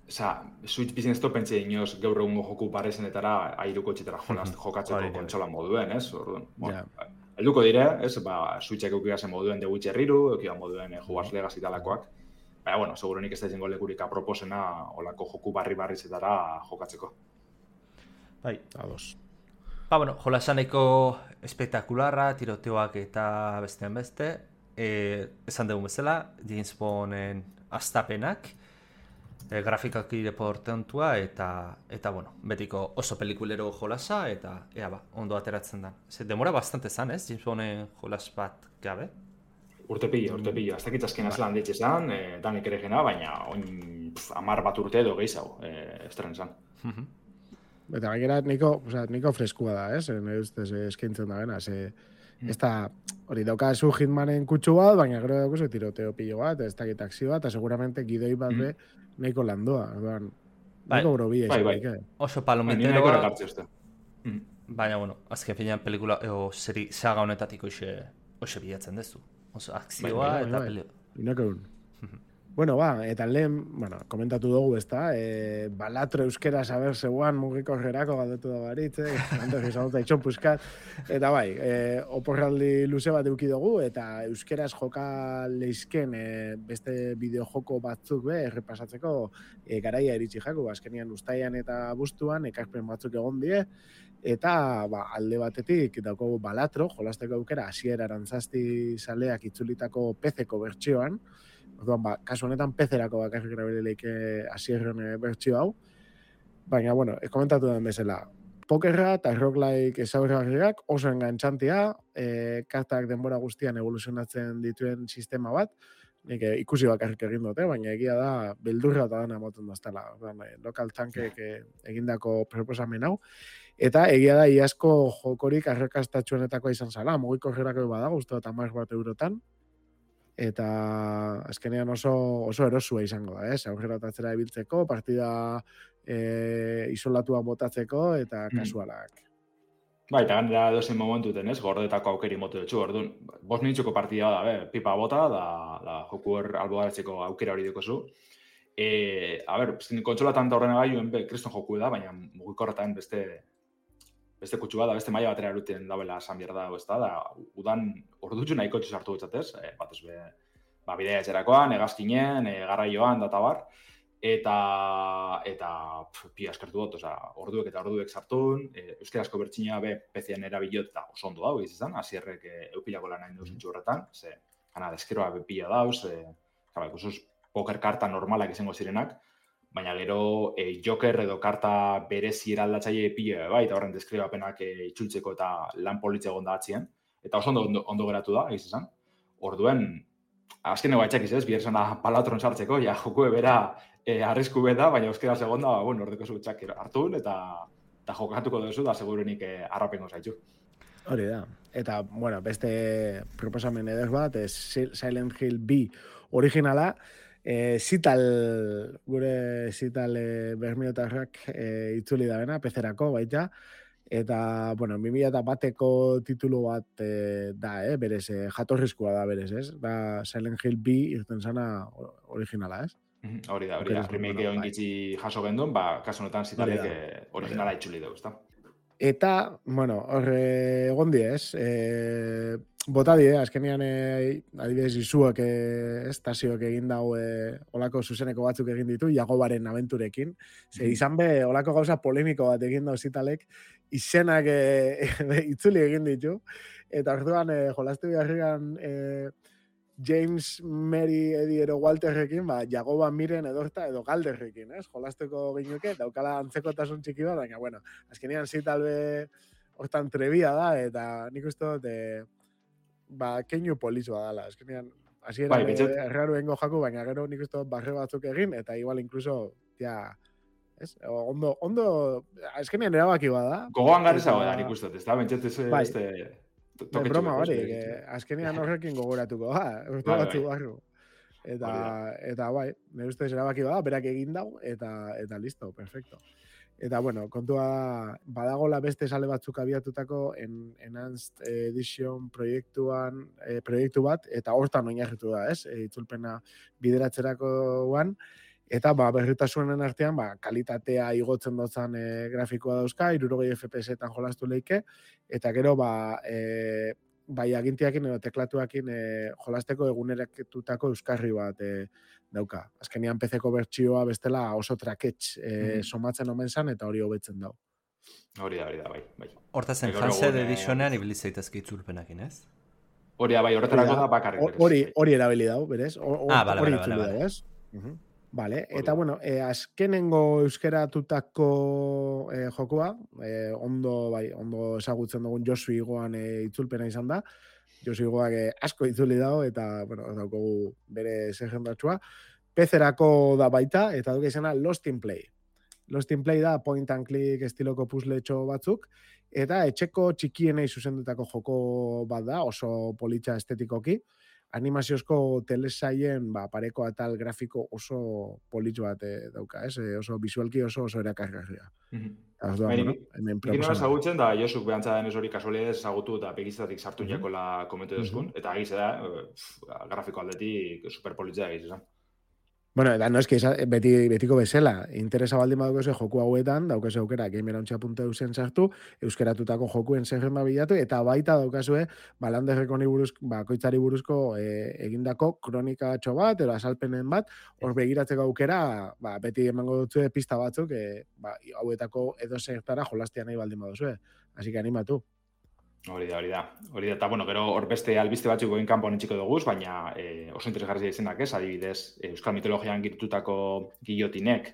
Switch business to pentsea inoz gaur egungo joku parezenetara airuko etxetara jokatzeko kontsola moduen, ez? Helduko dire, Switchak eukigazen moduen The Witcher 3, eukigazen moduen Hogwarts Legacy talakoak. Baina, segurunik ez da izango lekurik aproposena olako joku barri-barrizetara jokatzeko.
Bai, ados. Jolasaneko espektakularra, tiroteoak eta bestean beste. Esan dugu bezala, James Bonden astapenak, grafikaki deportentua eta betiko oso pelikulero jolasa eta ondo ateratzen da. Demora bastante zan, ez? James Bonden jolas bat gabe?
Urte pila. Ez dakit azken azlan ditxe zan, danik ere gena, baina 10 bat urte edo gehiago estren zan.
Eta gainera niko freskua da, ez? Ustez eskaintzen da gena, ez da, hori daukazu Hitmanen kutsu bat, baina gero daukazu tiroteo pilo bat, ez dakit akzio bat, eta seguramente gidoi bat be nahiko landoa. Nahiko brobia izan.
Oso palomiteroa. Baina, azken finean pelikula, seri saga honetatik hoxe bilatzen dezu. Oso akzioa eta pelikula.
Inako Bueno, eta lehen, komentatu dugu, ezta, balatro euskera saber zeuan mugikorrerako galdetu da baritze, antes izanota itxon puskat, eta bai, oporraldi luze bat eduki dugu, eta euskeraz joka leizken beste bideojoko batzuk errepasatzeko garaia iritsi jaku, azkenian ustaian eta bustuan, ekarpen batzuk egon die, eta alde batetik dauko balatro, jolasteko aukera, hasiera arantzazti zaleak itzulitako PC-ko bertsioan, orduan, kasu honetan PC-erako bakarrik erabilileik hasierren bertsio hau. Baina, komentatu den bezala, pokerra eta roguelike ezaugarriak oso engantzantia, kartak denbora guztian evoluzionatzen dituen sistema bat, nik ikusi bakarrik egin dute, baina egia da, beldurra eta dana moten daztela, lokal tankek egindako proposamen hau. Eta egia da, iazko jokorik arrakastatxuenetakoa izan zala, mugikorrerako badago, uste dut 10 bat eurotan, eta azkenean oso erosua izango da, aurreratatzera ibiltzeko, partida isolatua botatzeko eta kasualak.
Bai, eta ganera dozen momentuten, gordetako aukeri motu dutxu, orduan, 5 minutxoko partida da, pipa bota, da joku albogaratzeko aukera hori dukozu. Kontsolatan da horrena gaioen kriston joku da, baina mugikorretan beste kutsua da, beste maila batera eruten dabela esan bierda, da, udan ordutxu nahiko txuz hartu dutzatez, batez bidea etxerakoan, egazkinen, garraioan, data bar, eta pia eskertu dut, orduek sartun, euskerazko bertxina PC-an erabilot eta oso ondo dago izan, hasierrek eupilako lan hain duzentxu horretan, deskeroa pila dauz, ikusuz poker karta normalak izango zirenak, baina gero joker edo karta berezi eraldatzaile pila, eta horren deskribapenak itxultzeko eta lan politze egon da atzien, eta oso ondo geratu da, izan. Orduen, azkeneko batxakiz bihar zena palatron sartzeko, jokue bera arrisku beda, baina euskera segonda, ordeko zu txak hartun, eta jokatuko duzu, da segurunik arrapengo zaitxu.
Hori da. Eta, beste proposamen eder bat, Silent Hill B originala, gure Zital bermiotarrak itzuli da bena, PC-erako baita, eta, 2001eko titulu bat da, berez, jatorrizkoa da berez, da Silent Hill B irten zana originala,
Hori da, remake egon gitzi jaso gendun, kasu honetan Zitalek originala itzuli dugu, ezta?
Eta, horre egon die, bota die, azkenean adibidez izuak estazioak egin dau olako zuzeneko batzuk egin ditu, Jagobaren abenturekin. Izan olako gauza polemiko bat egin dau Zitalek, izenak itzuli egin ditu, eta orduan jolastu beharrigan James, Mary, Eddie ero Walterrekin, Jagoba Miren edorta edo Galderrekin, jolasteko ginuke, daukala antzekotasun txiki bat, baina, azkenean Zitalbe hortan trebia da, eta nik uste dut, keinu polizua dala, azkenean, hasieran erraru engo jaku, baina gero nik uste dut barre batzuk egin, eta igual incluso, ondo, azkenean erabaki bada.
Gogoan garrizago da nik uste dut, ez da, bentsetez
broma hori, azkenean horrekin gogoratuko, urte batzu barru. Eta nire ustez erabaki bada, berak egin dau, eta listo, perfecto. Eta, kontua badagola beste sale batzuk abiatutako Enhanced Edition proiektu bat, eta hortan oinarritu da, itzulpena bideratzerakoan, eta berritasunen artean kalitatea igotzen dotzan grafikoa dauzka, 60 FPS-etan jolastu leike, eta gero agintiakin edo teklatuakin jolasteko eguneraketutako euskarri bat dauka. Azkenean PC-ko bertsioa bestela oso traketx somatzen omen zan, eta hori hobetzen dau.
Hori da, bai.
Hortazen, Enhanced Editionean ibilizaitezke itzulpenakin, ez?
Hori da, bai, horretarako da bakarrik.
Hori erabili dau, berez?
Bale.
Ez? Vale, eta azkenengo euskeratutako jokua, ondo ezagutzen dugun Josu Igoan itzulpena izan da. Josu Igoak asko itzuli dago, eta, daukogu bere zergendatxua. PC-erako da baita, eta duke izena Lost in Play. Lost in Play da point and click estiloko puzzletxo batzuk, eta etxeko txikienei zuzendutako joko bat da, oso politxa estetikoki. Animaziozko telesaien pareko atal grafiko oso politxo bat dauka, oso visualki oso erakargarria.
Ikin hori ezagutzen, da Josuk behantza denez hori kasualidez ezagutu eta pegizatik sartu jakola komentu duzkun, eta egiz da, grafiko aldetik superpolitzea egiz,
Bueno, eta no eski, betiko bezala, interesa baldin badukoze joku hauetan, daukase aukera gamerauntxa.eusen sartu, euskeratutako jokuen zerrenda bilatu, eta baita daukazue, Landerrekoni koitzari buruzko egindako kronikatxo bat, edo azalpenen bat, hor begiratzeko aukera, beti emango dutzu pista batzuk, hauetako edo zertara jolastia nahi baldin baduzue. Así que animatu.
Hori da. Eta, bueno, gero hor beste albiste batzuk goin kanpoan etxiko duguz, baina oso interesgarria izenak ez, adibidez, Euskal Mitologian girtutako gillotinek,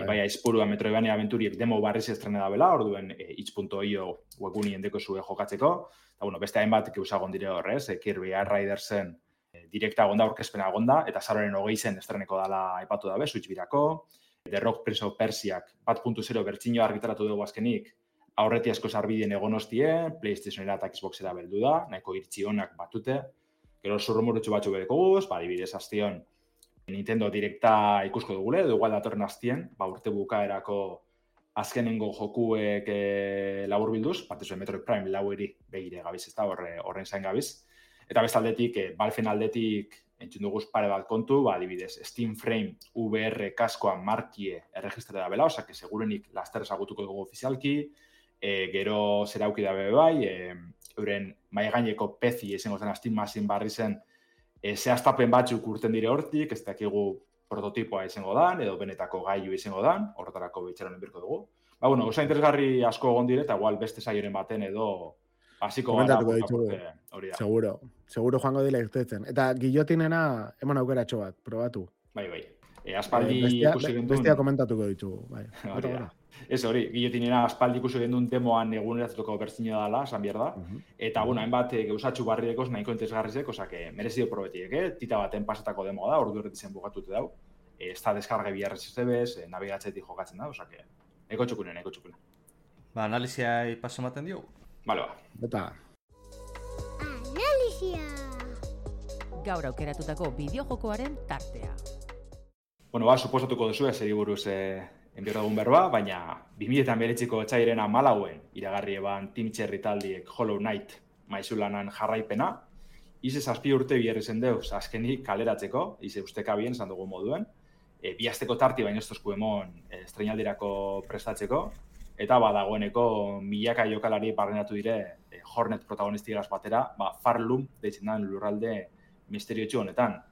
bai aizpurua Metroidvania Aventuriek demo barriz estrene da bela, orduen itch.io webgunien deko zue jokatzeko, eta, bueno, beste hainbat usagon dire horrez, Kirby Air Ridersen direkta agonda, orkespena agonda, eta zaroren 20 estreneko dala aipatu dabe, Switch birako, The Rock Prince of Persiak 1.0 bertxinio argitaratu dugu azkenik, aurreti asko sarbideen egon hostie, PlayStationera eta Xboxera beldu da, nahiko irtzi honak batute. Gero zurrumurutxu batzu bedeko guz, adibidez aztion Nintendo Directa ikusko dugule, edo igual datorren aztien, urte bukaerako azkenengo jokuek labur bilduz, batez Metroid Prime laueri begire gabiz, ez da, horren zain gabiz. Eta bestaldetik, Valven aldetik entzun duguz pare bat kontu, adibidez, Steam Frame VR kaskoa markie erregistre da bela, osake segurenik laster ezagutuko dugu ofizialki, gero zerauki dabe bai, euren maigaineko pezi izango zen Steam Machine barri zen, zehaztapen batzuk urten dire hortik, ez dakigu prototipoa izango dan, edo benetako gailu izango dan, horretarako bitxeron birko dugu. Bueno, oso interesgarri asko egon dire, eta igual beste saioren baten edo hasiko gara. Hori da.
Seguro joango dile irtetzen. Eta gillotinena, eman aukeratxo bat, probatu.
Bai. Aspaldi ikusi gendun...
Bestia komentatuko ditugu, bai.
Ez hori, gillotinera aspaldi ikusi gendun demoan eguneratzetoko bertzino dala, esan behar da. Eta, hainbat gauzatxu barridekoz nahiko interesgarrizek, osake, merezido probetiek, tita baten pasatako demoa da, ordu horretizen bugatute dau. Ez da deskarge biarrezizebez, nabigatzetik jokatzen da, osake, eko txukune.
Analizia paso maten diogu?
Bale,
Eta...
Analizia!
Gaur aukeratutako bideojokoaren tartea.
Suposatuko duzu zeri buruz enbiorra dugun berba, baina 2009ko etxairena malauen iragarri eban Team Cherry taldiek Hollow Knight maizulanan jarraipena, ize 7 urte biherri zen deuz azkenik kaleratzeko, ize usteka bien esan dugu moduen, bi asteko tarti baino estosku emon estrenaldirako prestatzeko, eta dagoeneko milaka jokalari barrenatu dire Hornet protagonistigaz batera, Farlum deitzen den lurralde misteriotxu honetan.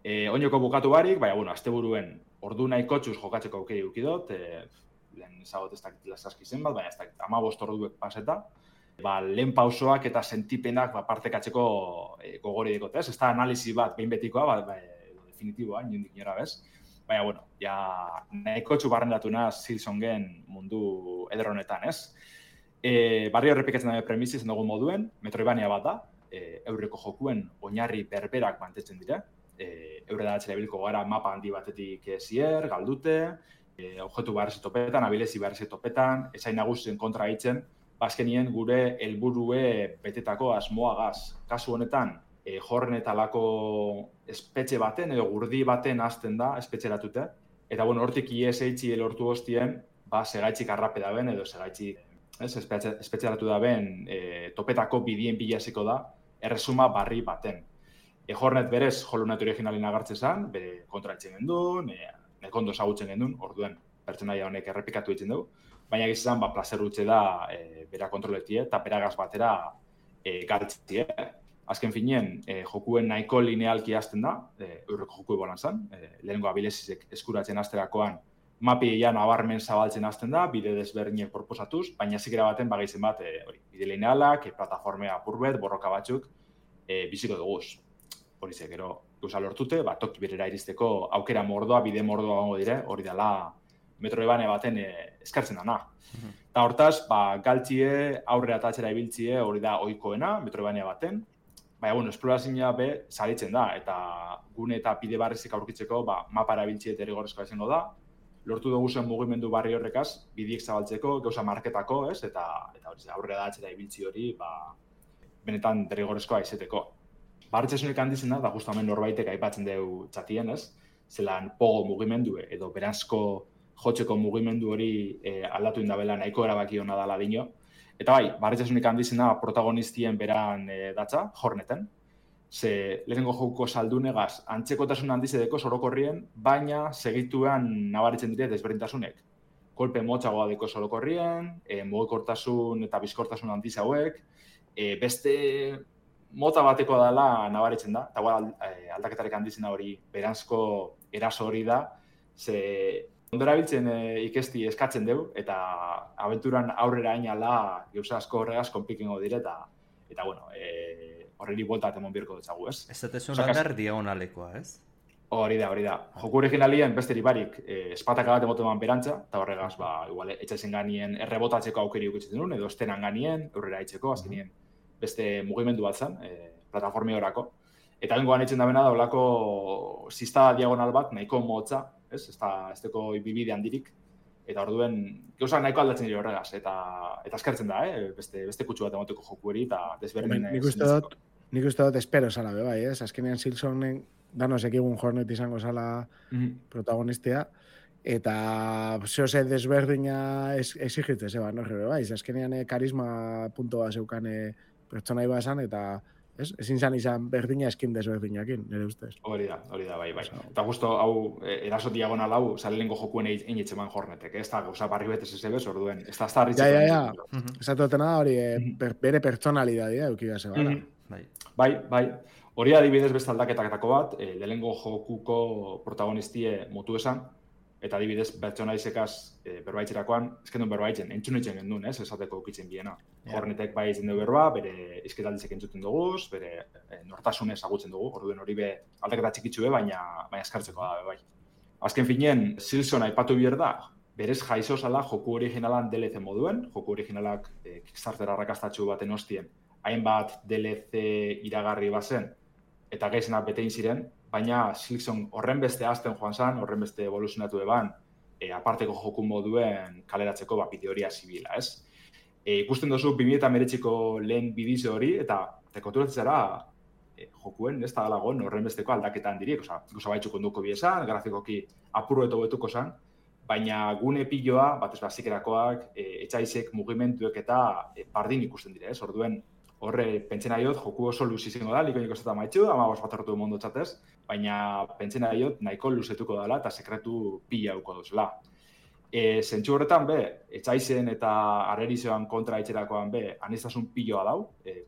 Oinoko bukatu barik, asteburuen ordu nahiko txuz jokatzeko aukeri ukidot, lehen ezagot ez dakit lasaski zen bat, baina ez dakit 15 orduek paseta, lehen pausoak eta sentipenak partekatzeko gogori dekot, ez? Ez da analizi bat behin betikoa, definitiboa, inondik nora bez. Baina, nahiko txu barrendatu naz Silsongen mundu ederronetan, ez? Barri horrepikatzen dabe premisi zen dugu moduen, Metroidvania bat da, eurreko jokuen oinarri berberak mantetzen dira, eure da atxera gara mapa handi batetik zier, galdute, objektu beharrezi topetan, abilezi beharrezi topetan, ezain nagusien kontra hitzen, bazkenien gure helburue betetako asmoagaz. Kasu honetan, jorrenetalako espetxe baten edo gurdi baten hasten da espetxeratute, eta hortik ISH lortu hostien, segaitzik arrape daben edo segaitzik espetxeratu daben topetako bidien bilaziko da, erresuma barri baten. Hornet berez, Hollow Knight originalin agartze zen, bere kontra etxen gendun, nekondo ezagutzen gendun, orduen pertsonaia honek errepikatu egiten dugu, baina gizizan, plazer utxe da bera kontroletie eta beragaz batera galtzie. Azken finien, jokuen nahiko linealki hasten da, eurreko joku ebolan zen, lehenengo abilezizek eskuratzen hasterakoan, mapi ean abarmen zabaltzen hasten da, bide desberdinek proposatuz, baina zikera baten bagaizen bat, bide linealak, plataformea apurbet, borroka batzuk, biziko duguz. Horize, gero, gauza lortute, toki berera iristeko aukera mordoa, bide mordoa gongo dire, hori dela Metroidvania baten eskartzen dana. Eta hortaz, galtzie, aurrera eta atxera ibiltzie, hori da ohikoena Metroidvania baten. Baina, esplorazioa be, salitzen da, eta gune eta bide barrizik aurkitzeko, mapara ibiltzie derrigorrezkoa izango da. Lortu dugu zen mugimendu barri horrekaz, bidiek zabaltzeko, gauza marketako, ez? Eta aurrera da atxera ibiltzi hori, benetan derrigorrezkoa izeteko. Barritxasunik handizen da justamen norbaitek aipatzen dugu txatien, ez? Zelan pogo mugimendu edo beranzko jotzeko mugimendu hori aldatu indabela nahiko erabaki hona dala dino. Eta barritxasunik handizen da protagonistien beran datza, Horneten. ze lehenengo jokuko saldunegaz antzekotasun handizedeko sorokorrien, baina segituan nabaritzen dire desberdintasunek. Kolpe motxagoa deko sorokorrien, mugikortasun eta bizkortasun handiz hauek, beste mota bateko dela nabaritzen da, eta aldaketarek handizena hori beranzko eraso hori da, ze ondora biltzen ikesti eskatzen dugu, eta abenturan aurrera ainala gauza asko horregaz konpikengo dire, eta bueno, horreri buelta emon birko dutzagu, ez?
Ez zatezun andar diagonalekoa, ez?
Hori da. Joku originalien besteri barik espataka bat emoteman berantza, eta horregaz, igual, etxaizen ganien errebotatzeko aukeri ukitzen duen, edo estenan ganien, aurrera aitzeko, azkenien beste mugimendu bat zen, plataformi horako. Eta bengoan eitzen da bena da, olako zista diagonal bat, nahiko motza, ez? Ez deko ibibide handirik, eta orduen gauzak nahiko aldatzen dira horregaz, eta eskertzen da, beste kutsu bat emoteko joku hori, eta desberdin...
Nik uste dut espero zala, bai, ez? Azkenean Silksonen danos ekigun Hornet izango zala protagonistia, eta zehose desberdina exigitzez, no? Bai, azkenean karisma puntoa zeukan pertsonai bazan, eta ezin izan berdina eskin desberdinakin, nire ustez.
Hori da, bai. Eta justo hau, eraso diagonal hau, zalengo jokuen egin etxeman Hornetek, ez da, gauza barri betez ez ebez, orduen, ez da harritzen.
Ja. Esatutena hori, bere pertsonalidadea eukidea zebara.
Bai. Hori adibidez beste aldaketaketako bat, lehenengo jokuko protagonistie mutu esan, eta adibidez pertsonaizekaz berbaitzerakoan, ezkendun berbaitzen, entzunitzen gendun, ez, esateko ukitzen biena. Hornetek bai izen dugu berba, bere izketaldizek entzuten duguz, bere nortasunez agutzen dugu, orduen hori be aldaketa txikitsue, baina eskartzeko da, bai. Azken finean, Silkson aipatu bier da, berez jaizo zala joku originalan DLC moduen, joku originalak Kickstarter arrakastatxu baten hostien, hainbat DLC iragarri bazen, eta gaizenak betein ziren, baina Silkson horren beste azten joan zan, horren beste evoluzionatu eban, aparteko joku moduen kaleratzeko bideoria zibila, ez? Ikusten duzu 2019ko lehen bidizio hori, eta tekoturatzen zara jokuen, ez da dalagoen horren besteko aldaketan dirik, gauza baitxuk onduko biesan, grafikoki apurro eto betuko zan, baina gune piloa, batez bazikerakoak, etxaizek mugimenduek eta bardin ikusten dire, ez? Orduen, horre, pentsen aiot, joku oso luz izango da, liko niko zeta maitxu, ama bat hartu mondo txatez, baina pentsen aiot nahiko luzetuko dela eta sekretu pila duko duzela. Zentsu horretan, etxaizen eta arrerizioan kontra etxerakoan, aniztasun piloa dau,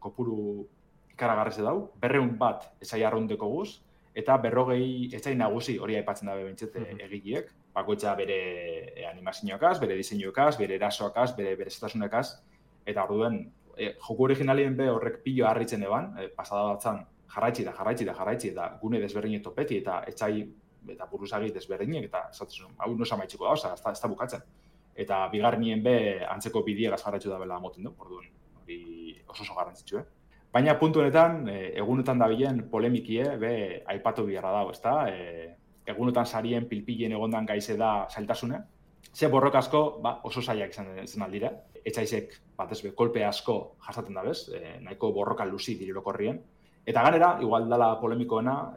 kopuru ikaragarrize dau, 200 bat etxai arrundeko guz, eta 40 etxai nagusi hori aipatzen dabe bentsete egileek, bakoitza bere animazioakaz, bere diseinuakaz, bere erasoakaz, bere zetasunekaz, eta orduen, joku originalien horrek pilo harritzen eban, pasada batzan jarraitzi da gune desberdinek topeti eta etxai eta buruzagi desberdinek eta esatzen hau nosa maitxiko da, ez da bukatzen. Eta bigarrenien antzeko bidiegaz jarraitzu da bela moten du, orduan hori oso garrantzitsu. Baina puntu honetan, egunetan dabilen polemikie aipatu biharra dago, ezta? Egunetan sarien pilpilien egondan gaize da zailtasune. Ze borroka asko oso zailak izan aldira. Etxaizek batez kolpe asko jasaten da bez, nahiko borroka luzi dirirokorrien. Eta ganera, igual dala polemikoena,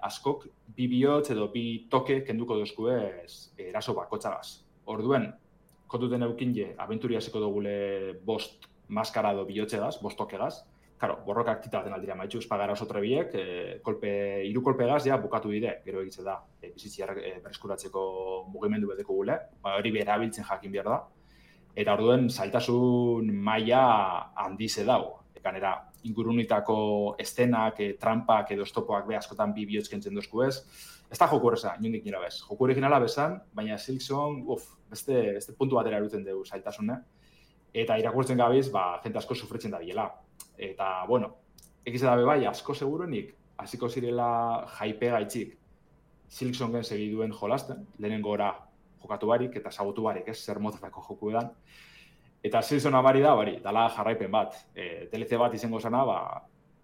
askok bi bihotz edo bi toke kenduko dozku eraso bakotzagaz. Orduen, kontuten eukin abenturia hasiko dugule 5 maskara edo bihotzegaz, 5 tokegaz. Karo, borrokak titaten aldira maitxu, espagara oso trebiek, 3 kolpegaz bukatu dire, gero egitze da, bizitziar bereskuratzeko mugimendu bedeko gule, hori berabiltzen jakin behar da. Eta orduen, zailtasun maila handize dau. Ganera, ingurunitako estenak, trampak edo estopoak askotan bi bihotz kentzen dozku ez. Ez da joku horreza, inondik nira bez. Joku originala bezan, baina Silkson, beste puntu batera eruten dugu zailtasune. Eta irakurtzen gabiz, jente asko sufritzen da biela. Eta, bueno, egize dabe bai, asko seguruenik, hasiko zirela jaipe gaitxik Silkson gen segiduen jolasten, lehenengo ora jokatu barik eta sabotu barik, ez, zer motetako joku edan. Eta Silkson abari da, dala jarraipen bat. DLC bat izango zana,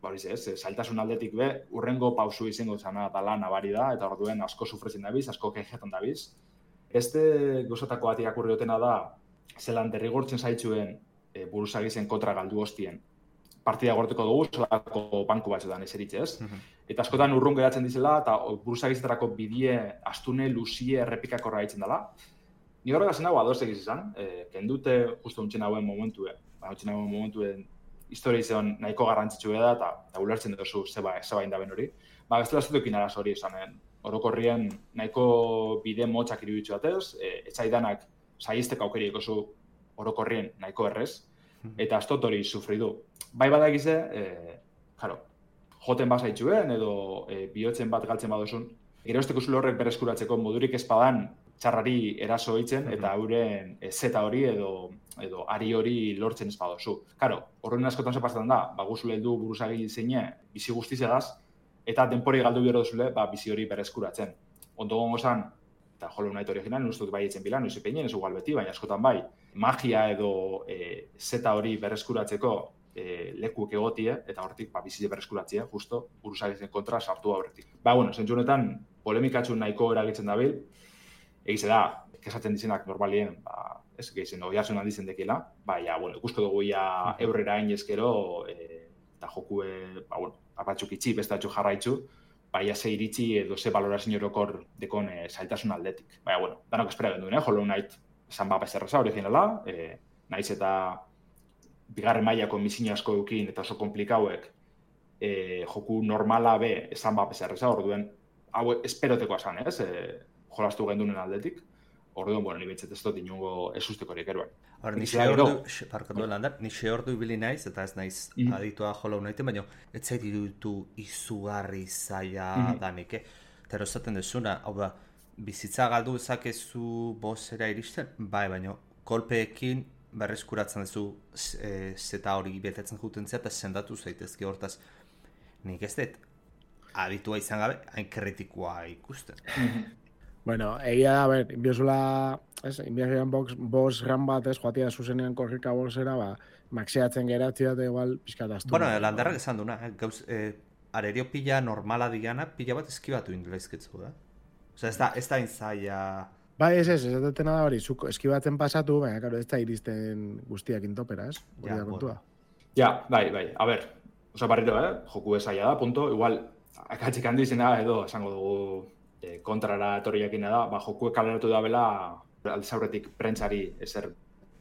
zailtasun aldetik urrengo pausu izango zana dala nabari da, eta orduen asko sufritzen dabiz, asko kejetan dabiz. Beste gozatako bat irakurri dutena da, zelan derrigortzen zaitzuen buruzagizen kontra galdu hostien, partida gorteko dugu, zelako banku batzuetan eseritze, ez? Eta askotan urrun geratzen dizela, eta buruzagizetarako bidie astune, luzie, errepikakorra haitzen dela. Ni horrega zen hau adoz egiz izan, kendute justu untxen hauen momentuen. Untxen hauen momentuen historia izan nahiko garrantzitsu da, eta ulertzen duzu zebain da ben hori. Bestela ez dukin arazo hori esanen. Orokorrien nahiko bide motzak iruditzu batez, etxaidanak saizteko aukeri ekozu orokorrien nahiko errez, eta ez dut hori sufri du. Bai badakize, joten bazaitxuen edo bihotzen bat galtzen badozun, gerozteko zule horrek bereskuratzeko modurik ezpadan txarrari eraso eitzen eta euren zeta hori edo ari hori lortzen ez badozu. Karo, horren askotan zepazetan da, guzule heldu buruzagi zeine bizi guztizegaz, eta denpori galdu bihar duzule bizi hori bereskuratzen. Ondo gongo zan, eta Hollow Knight original, nuztuk bai etzen bila, nuzi peinen, ez igual beti, baina askotan bai, magia edo zeta hori bereskuratzeko lekuek egotie, eta hortik bizi bereskuratzea, justo, buruzagizen kontra sartu aurretik. Zentzu honetan, polemikatxun nahiko eragitzen dabil, egize da, kesatzen dizenak normalien, ez gehizen, oiasun handizen dekila, ikusko dugu ia eurrera hain ezkero, eta jokue, apatzuk itxi, bestatxu jarraitzu, ze iritsi edo ze balorazio orokor dekon zailtasun aldetik. Danok espera genduen, Hollow Knight esan bezerreza originala, naiz eta bigarren mailako misina asko eukin eta oso komplikauek joku normala be esan bezerreza, orduen, hau esperoteko esan, ez? Jolastu gendunen aldetik. Orduan, ni betzet ez dut inungo ez ustekorik eruan.
Nixe ordu ibili naiz, eta ez naiz aditua Hollow Knighten, baina ez zait iruditu izugarri zaila danik, Eta erosaten dezuna, hau da, bizitza galdu ezakezu bosera iristen, baina kolpeekin berreskuratzen duzu zeta hori betetzen jutentzea eta sendatu zaitezke hortaz. Nik ez dut, aditua izan gabe, hain kritikoa ikusten.
Bueno, egia da, inbiozula, inbiazian boss ran bat, joatia zuzenean korrika bossera, maxeatzen geratzea eta igual pixkataztu.
Bueno, landarrak esan duna, arerio pila normala digana, pila bat eskibatu indelaizketzu, da? Osa, ez da inzaia...
Ez dutena da hori, zuk eskibatzen pasatu, baina, karo, ez da iristen guztiak intopera, ez? Hori da kontua.
Bai. A ber, osa barriro, joku esaia da, punto, igual, akatzik handi izena edo, esango dugu, kontrara etorriakina da, joku kaleratu da bela, aldezaurretik prentzari ezer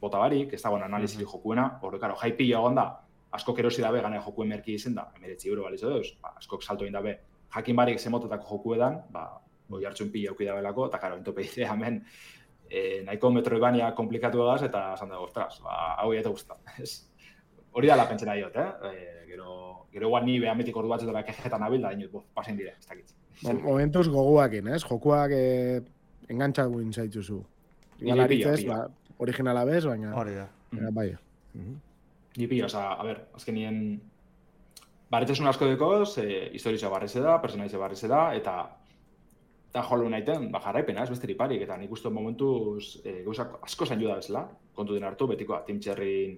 bota barik, ez dagoen analiziri jokuena, hori, karo, jaipi egon da, askok erosi dabe gana jokuen merki izen da, €19 balizo deuz, askok salto egin dabe, jakin barik zemototako jokuedan, boi hartzun pila auki dabelako, eta karo, entope dize, hemen, nahiko Metroidvania komplikatu egaz, eta esan dago, ostras, hau eta guztan. Hori dala pentsena diot, Gero guan ni behametik ordu batzutara kejetan nabil, da dinut, pasen dire, ez dakit.
Momentuz goguakin, jokuak engantxat guin zaitzuzu. Galaritzez, originala bez, baina...
Hori da.
Bai.
Ni pila, a ber, azkenien... Barretzesun asko dekoz, historitza barreze da, personaize barreze da, eta Hollow Knighten, jarraipena, ez besteri parik, eta nik uste momentuz gauzak asko zain juda bezala, kontu den hartu, betikoa, Tim Cherryn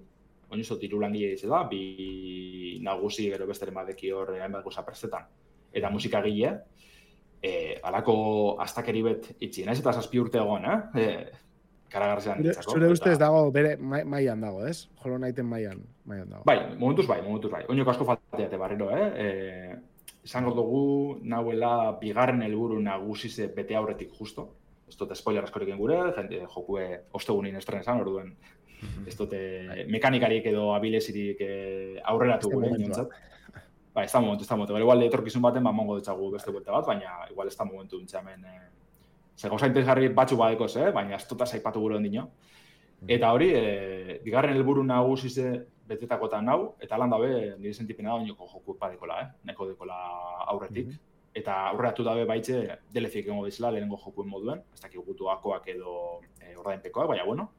oinuzto tiru langile dize da, bi nagusi gero besteren badeki hor hainbat gauza prestetan, eta musikagile, alako astakeri bet itxi, naiz eta 7 urte egon, karagarzean ditzako.
Zure ustez dago, bere mailan dago, ez? Hollow Knighten mailan dago.
Bai, momentuz bai. Oinoko asko falteate barriro, Esango dugu, nahuela bigarren helburu nagusize bete aurretik justo. Ez dute spoiler askorik gure, jokue ostegunin estren esan, orduen. Ez dute mekanikarik edo abilezirik aurreratu gure, nintzat. Ba, ez da momentu. Igual etorkizun baten, mongo dutxagu beste buelta bat, baina igual ez da momentu dintxamen. Ze gauza interesgarri batzu badekoz, baina ez dut zaipatu gure ondino. Eta hori, bigarren helburu nagusize betetakotan hau, eta lan dabe, nire sentipena da oinoko joku padekola, neko dekola aurretik. Eta aurreratu dabe baitze, deleziek egongo dizela, lehenengo jokuen moduen, ez dakik gutuakoak edo ordainpekoak, baina bueno.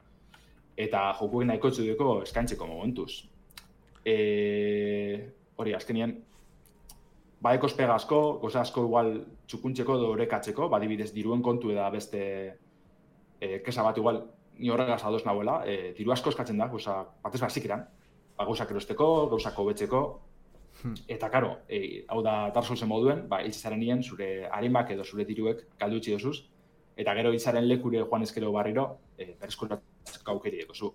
Eta jokuek nahiko txudeko eskaintzeko momentuz. Hori, azkenien, badeko espega asko, goza asko igual txukuntzeko edo orekatzeko, badibidez diruen kontu eda beste kesa bat igual, ni horregaz adoz nahuela, diru asko eskatzen da, batez bat zikiran, gauzak erosteko, gauzak hobetzeko, eta karo, hau da Dark Soulsen moduen, hiltzaren nien zure harimak edo zure diruek galdu itxi dozuz, eta gero hiltzaren lekure joan ezkero barriro, bereskuratzeko aukeri ekozu.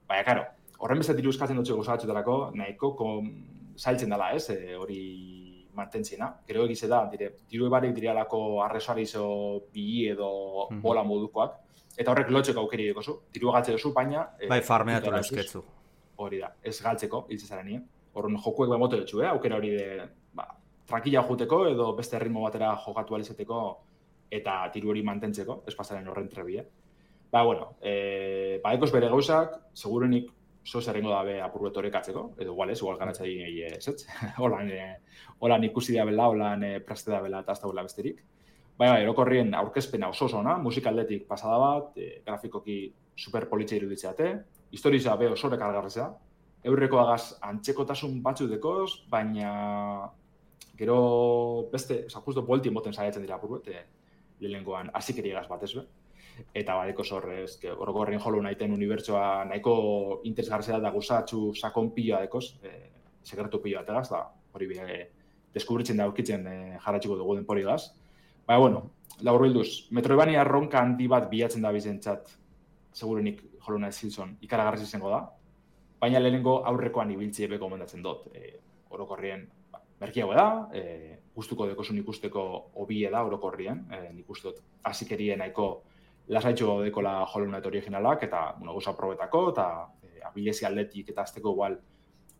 Baina, karo, horren beste diru eskatzen dutxo gauza batxutarako, nahiko zailtzen dela, hori mantentzena. Gero egize da, diru ebarik direalako arrezoarizo bi edo bola modukoak, eta horrek lotxeko aukeri ekozu, diru egatze duzu, baina...
Bai, farmeatu lezketzu.
hori da, ez galtzeko, hiltzezaren nien. Horren jokuek bemote dutxu, aukera hori de, tranquila juteko edo beste ritmo batera jokatu alizeteko eta tiru hori mantentzeko, ez pasaren horren trebia. Bueno, ekos bere gauzak, segurenik zozarengo dabe apurbetorek atzeko, edo igual garatza egin ez. Holan ikusi da bela, holan praste da bela eta azta bela besterik. Erokorrien aurkezpena oso ona, musikaldetik pasada bat, grafikoki super politxe iruditzeate, historiza be oso rekargarreza, eurreko agaz antzekotasun batzu dekoz, baina gero beste, justo bolti moten saiatzen dira apurbet, lehengoan azikeriegaz bat ez be. Eta badeko zorrez, orokorrien Hollow Knighten unibertsoa nahiko interesgartzea da guzatxu sakon piloa dekoz, sekretu piloa ategaz, da hori deskubritzen da aurkitzen jarratxiko dugu denporigaz. Laur bilduz, Metroidvania erronka handi bat bilatzen da bizentzat, segurenik Hollow Knight Silson ikaragarriz izango da, baina lehenengo aurrekoan ibiltzie beko gomendatzen dut. Orokorrien merkiago da, gustuko dekosun ikusteko hobie da orokorrien, nik uste dut azikerien nahiko lasaitxo dekola Hollow Knight originalak, eta goza probetako, eta abilezi aldetik eta azteko igual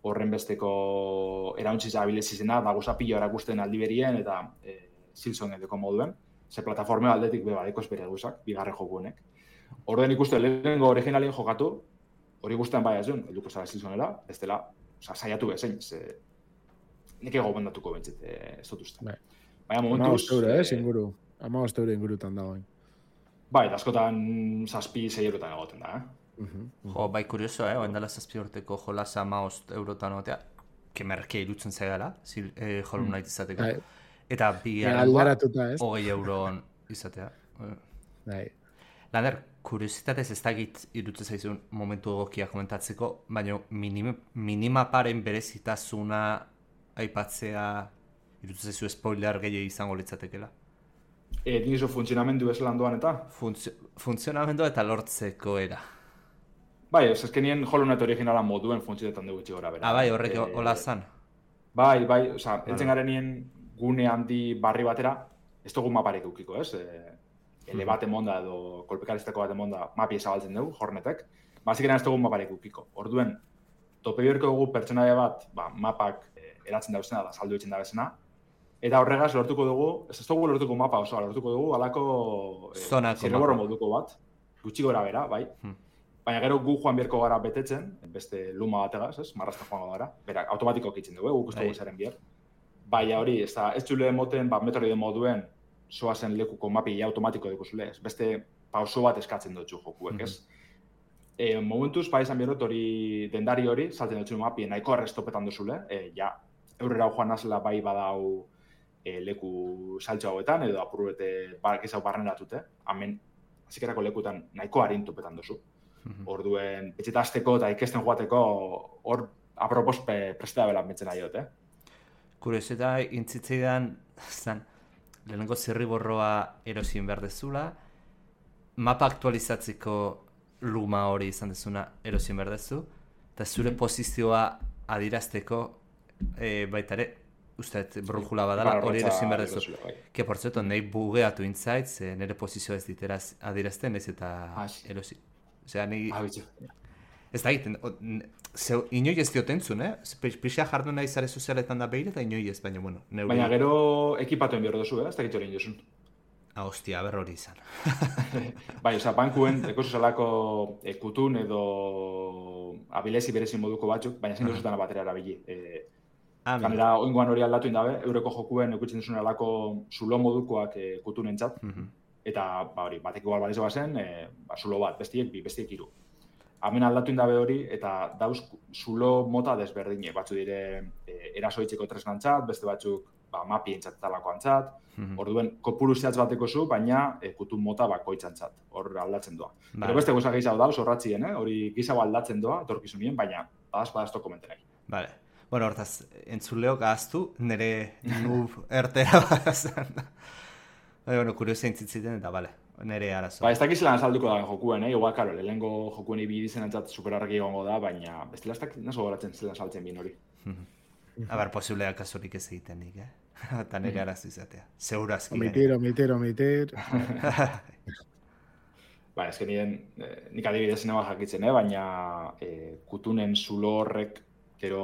horren besteko erauntziz abilezi zena, da goza pilo erakusten aldi berien, eta Silson edeko moduen, ze plataforma aldetik badeko bere guzak, bigarren joku honek. Orden ikuste lehenengo originalien jokatu, hori guztean bai azun, helduko zara Silsonera, ez dela, saiatu bezein, nik ego bendatuko bentzit, ez dut uste. Baina momentuz...
15 euro ingurutan dagoen.
Bai, askotan 7-6 eurotan egoten da,
Jo, bai kurioso, oendala 7 urteko jolasa 15 eurotan egotea, kemerkea irutzen zaigala, Hollow Knight izateko. Eta bigarrengoa 20 euron izatea. Lander, kuriositatez ez dakit irutzen zaizun momentu egokia komentatzeko, baina minimaparen berezitasuna aipatzea irutzen zaizu spoiler gehiago izango litzatekela.
Nizo funtzionamendu ez landoan eta?
Funtzionamendu eta lortzeko era.
Bai, ez ezkenien Hollow Knight originala moduen funtzionetan dugu itxi gora bera.
Bai, horrek hola zan?
Bai, entzen garen nien gune handi barri batera, ez dugu maparek eukiko, ez? Ele bat emonda edo kolpekaristeko bat emonda mapi ezabaltzen dugu, Hornetek. Bazikeran ez dugu maparek eukiko. Orduen, tope biorko dugu pertsonaia bat, mapak eratzen dauzena da, saldu etxen dauzena. Eta horregaz lortuko dugu, ez dugu lortuko mapa osoa, lortuko dugu alako zirreborro moduko bat, gutxi gora bera, bai. Baina gero gu joan bierko gara betetzen, beste luma bategaz, ez? Marrazta joango gara. Bera, automatiko kitzen dugu, guk uste dugu izaren bier. Baina hori, ez txule moten, Metroid moduen, soazen lekuko mapi automatiko dukuzule, ez? Beste pauso bat eskatzen dutxu jokuek, ez? Momentuz, izan bierrot hori, dendari hori, salten dutxu mapi nahiko arrestopetan duzule, eurrera joan nazela bai badau leku saltxo hauetan, edo apurbete gezau barneratute, hemen, zikerako lekutan nahiko harintopetan duzu. Orduen, etxeta azteko eta ikesten joateko hor apropos prestea belan betzen nahi dut,
Kuriosita, intzitzeidan, lehenengo zirriborroa erosien behar dezula, mapa aktualizatzeko luma hori izan dezuna erosien behar dezu, eta zure posizioa adirazteko baitare, usteet, brujula badala, hori erosien behar dezu. Que, por cierto, nahi bugeatu intzaitz, nire posizioa ez diteraz adirazten, ez eta erosi. Osea, nahi... Ez da egiten, inoi ez diotentzun, Pixia jardu nahi zare sozialetan da behir eta inoi ez, baina, bueno...
Baina gero ekipatuen behar duzu, ez da egiten hori induzun.
Hostia, berro hori izan.
Bai, oza, bankuen, ekosuzalako kutun edo abilezi berezin moduko batzuk, baina zein duzutan batera erabili. Ganera, oingoan hori aldatu indabe, eureko jokuen ekutzen duzun alako zulo modukoak kutunentzat, eta hori, batek igual balizo bazen, zulo bat, bestiek hiru. Hemen aldatu indabe hori, eta dauz zulo mota desberdine, batzu dire erasoitzeko tresnantzat, beste batzuk mapi entzat talako antzat, orduen kopuru zehatz bateko zu, baina kutun mota bakoitzantzat, hor aldatzen doa. Pero beste goza gehiago dauz, horratzien, hori gizago aldatzen doa, etorkizunien, baina badazto komentenai.
Vale. Bueno, hortaz, entzuleok ahaztu, nire nub ertera badazan. Bueno, kuriosia intzitziten, eta bale. Nere arazo.
Ez dakiz lan salduko da jokuen, igual, karo, lehenengo jokuen ibi dizen entzat superarraki egongo da, baina bestela ez dakit naso goratzen zelan saltzen bien hori.
Aber, posibleak kasurik ez egiten nik, Eta nere arazo izatea. Segurazki.
Omitir.
Ba, ezken nik adibidez neba jakitzen, baina kutunen zulo horrek, gero,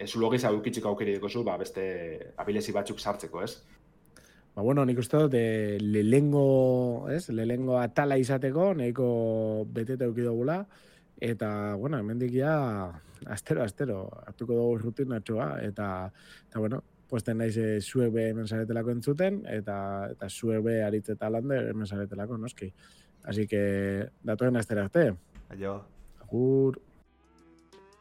zulo gehiago eukitziko aukeri dekozu, beste abilezi batzuk sartzeko, ez?
Ba, bueno, nik uste dut, lehengo atala izateko, nahiko beteta eukidogula, eta, bueno, hemendik ja, astero, hartuko dugu rutinatxoa, eta, bueno, puesten naiz zuek be hemen zaretelako entzuten, eta zuek be aritzeta lande hemen zaretelako, noski. Así que, datoen astera arte.
Aio.
Agur.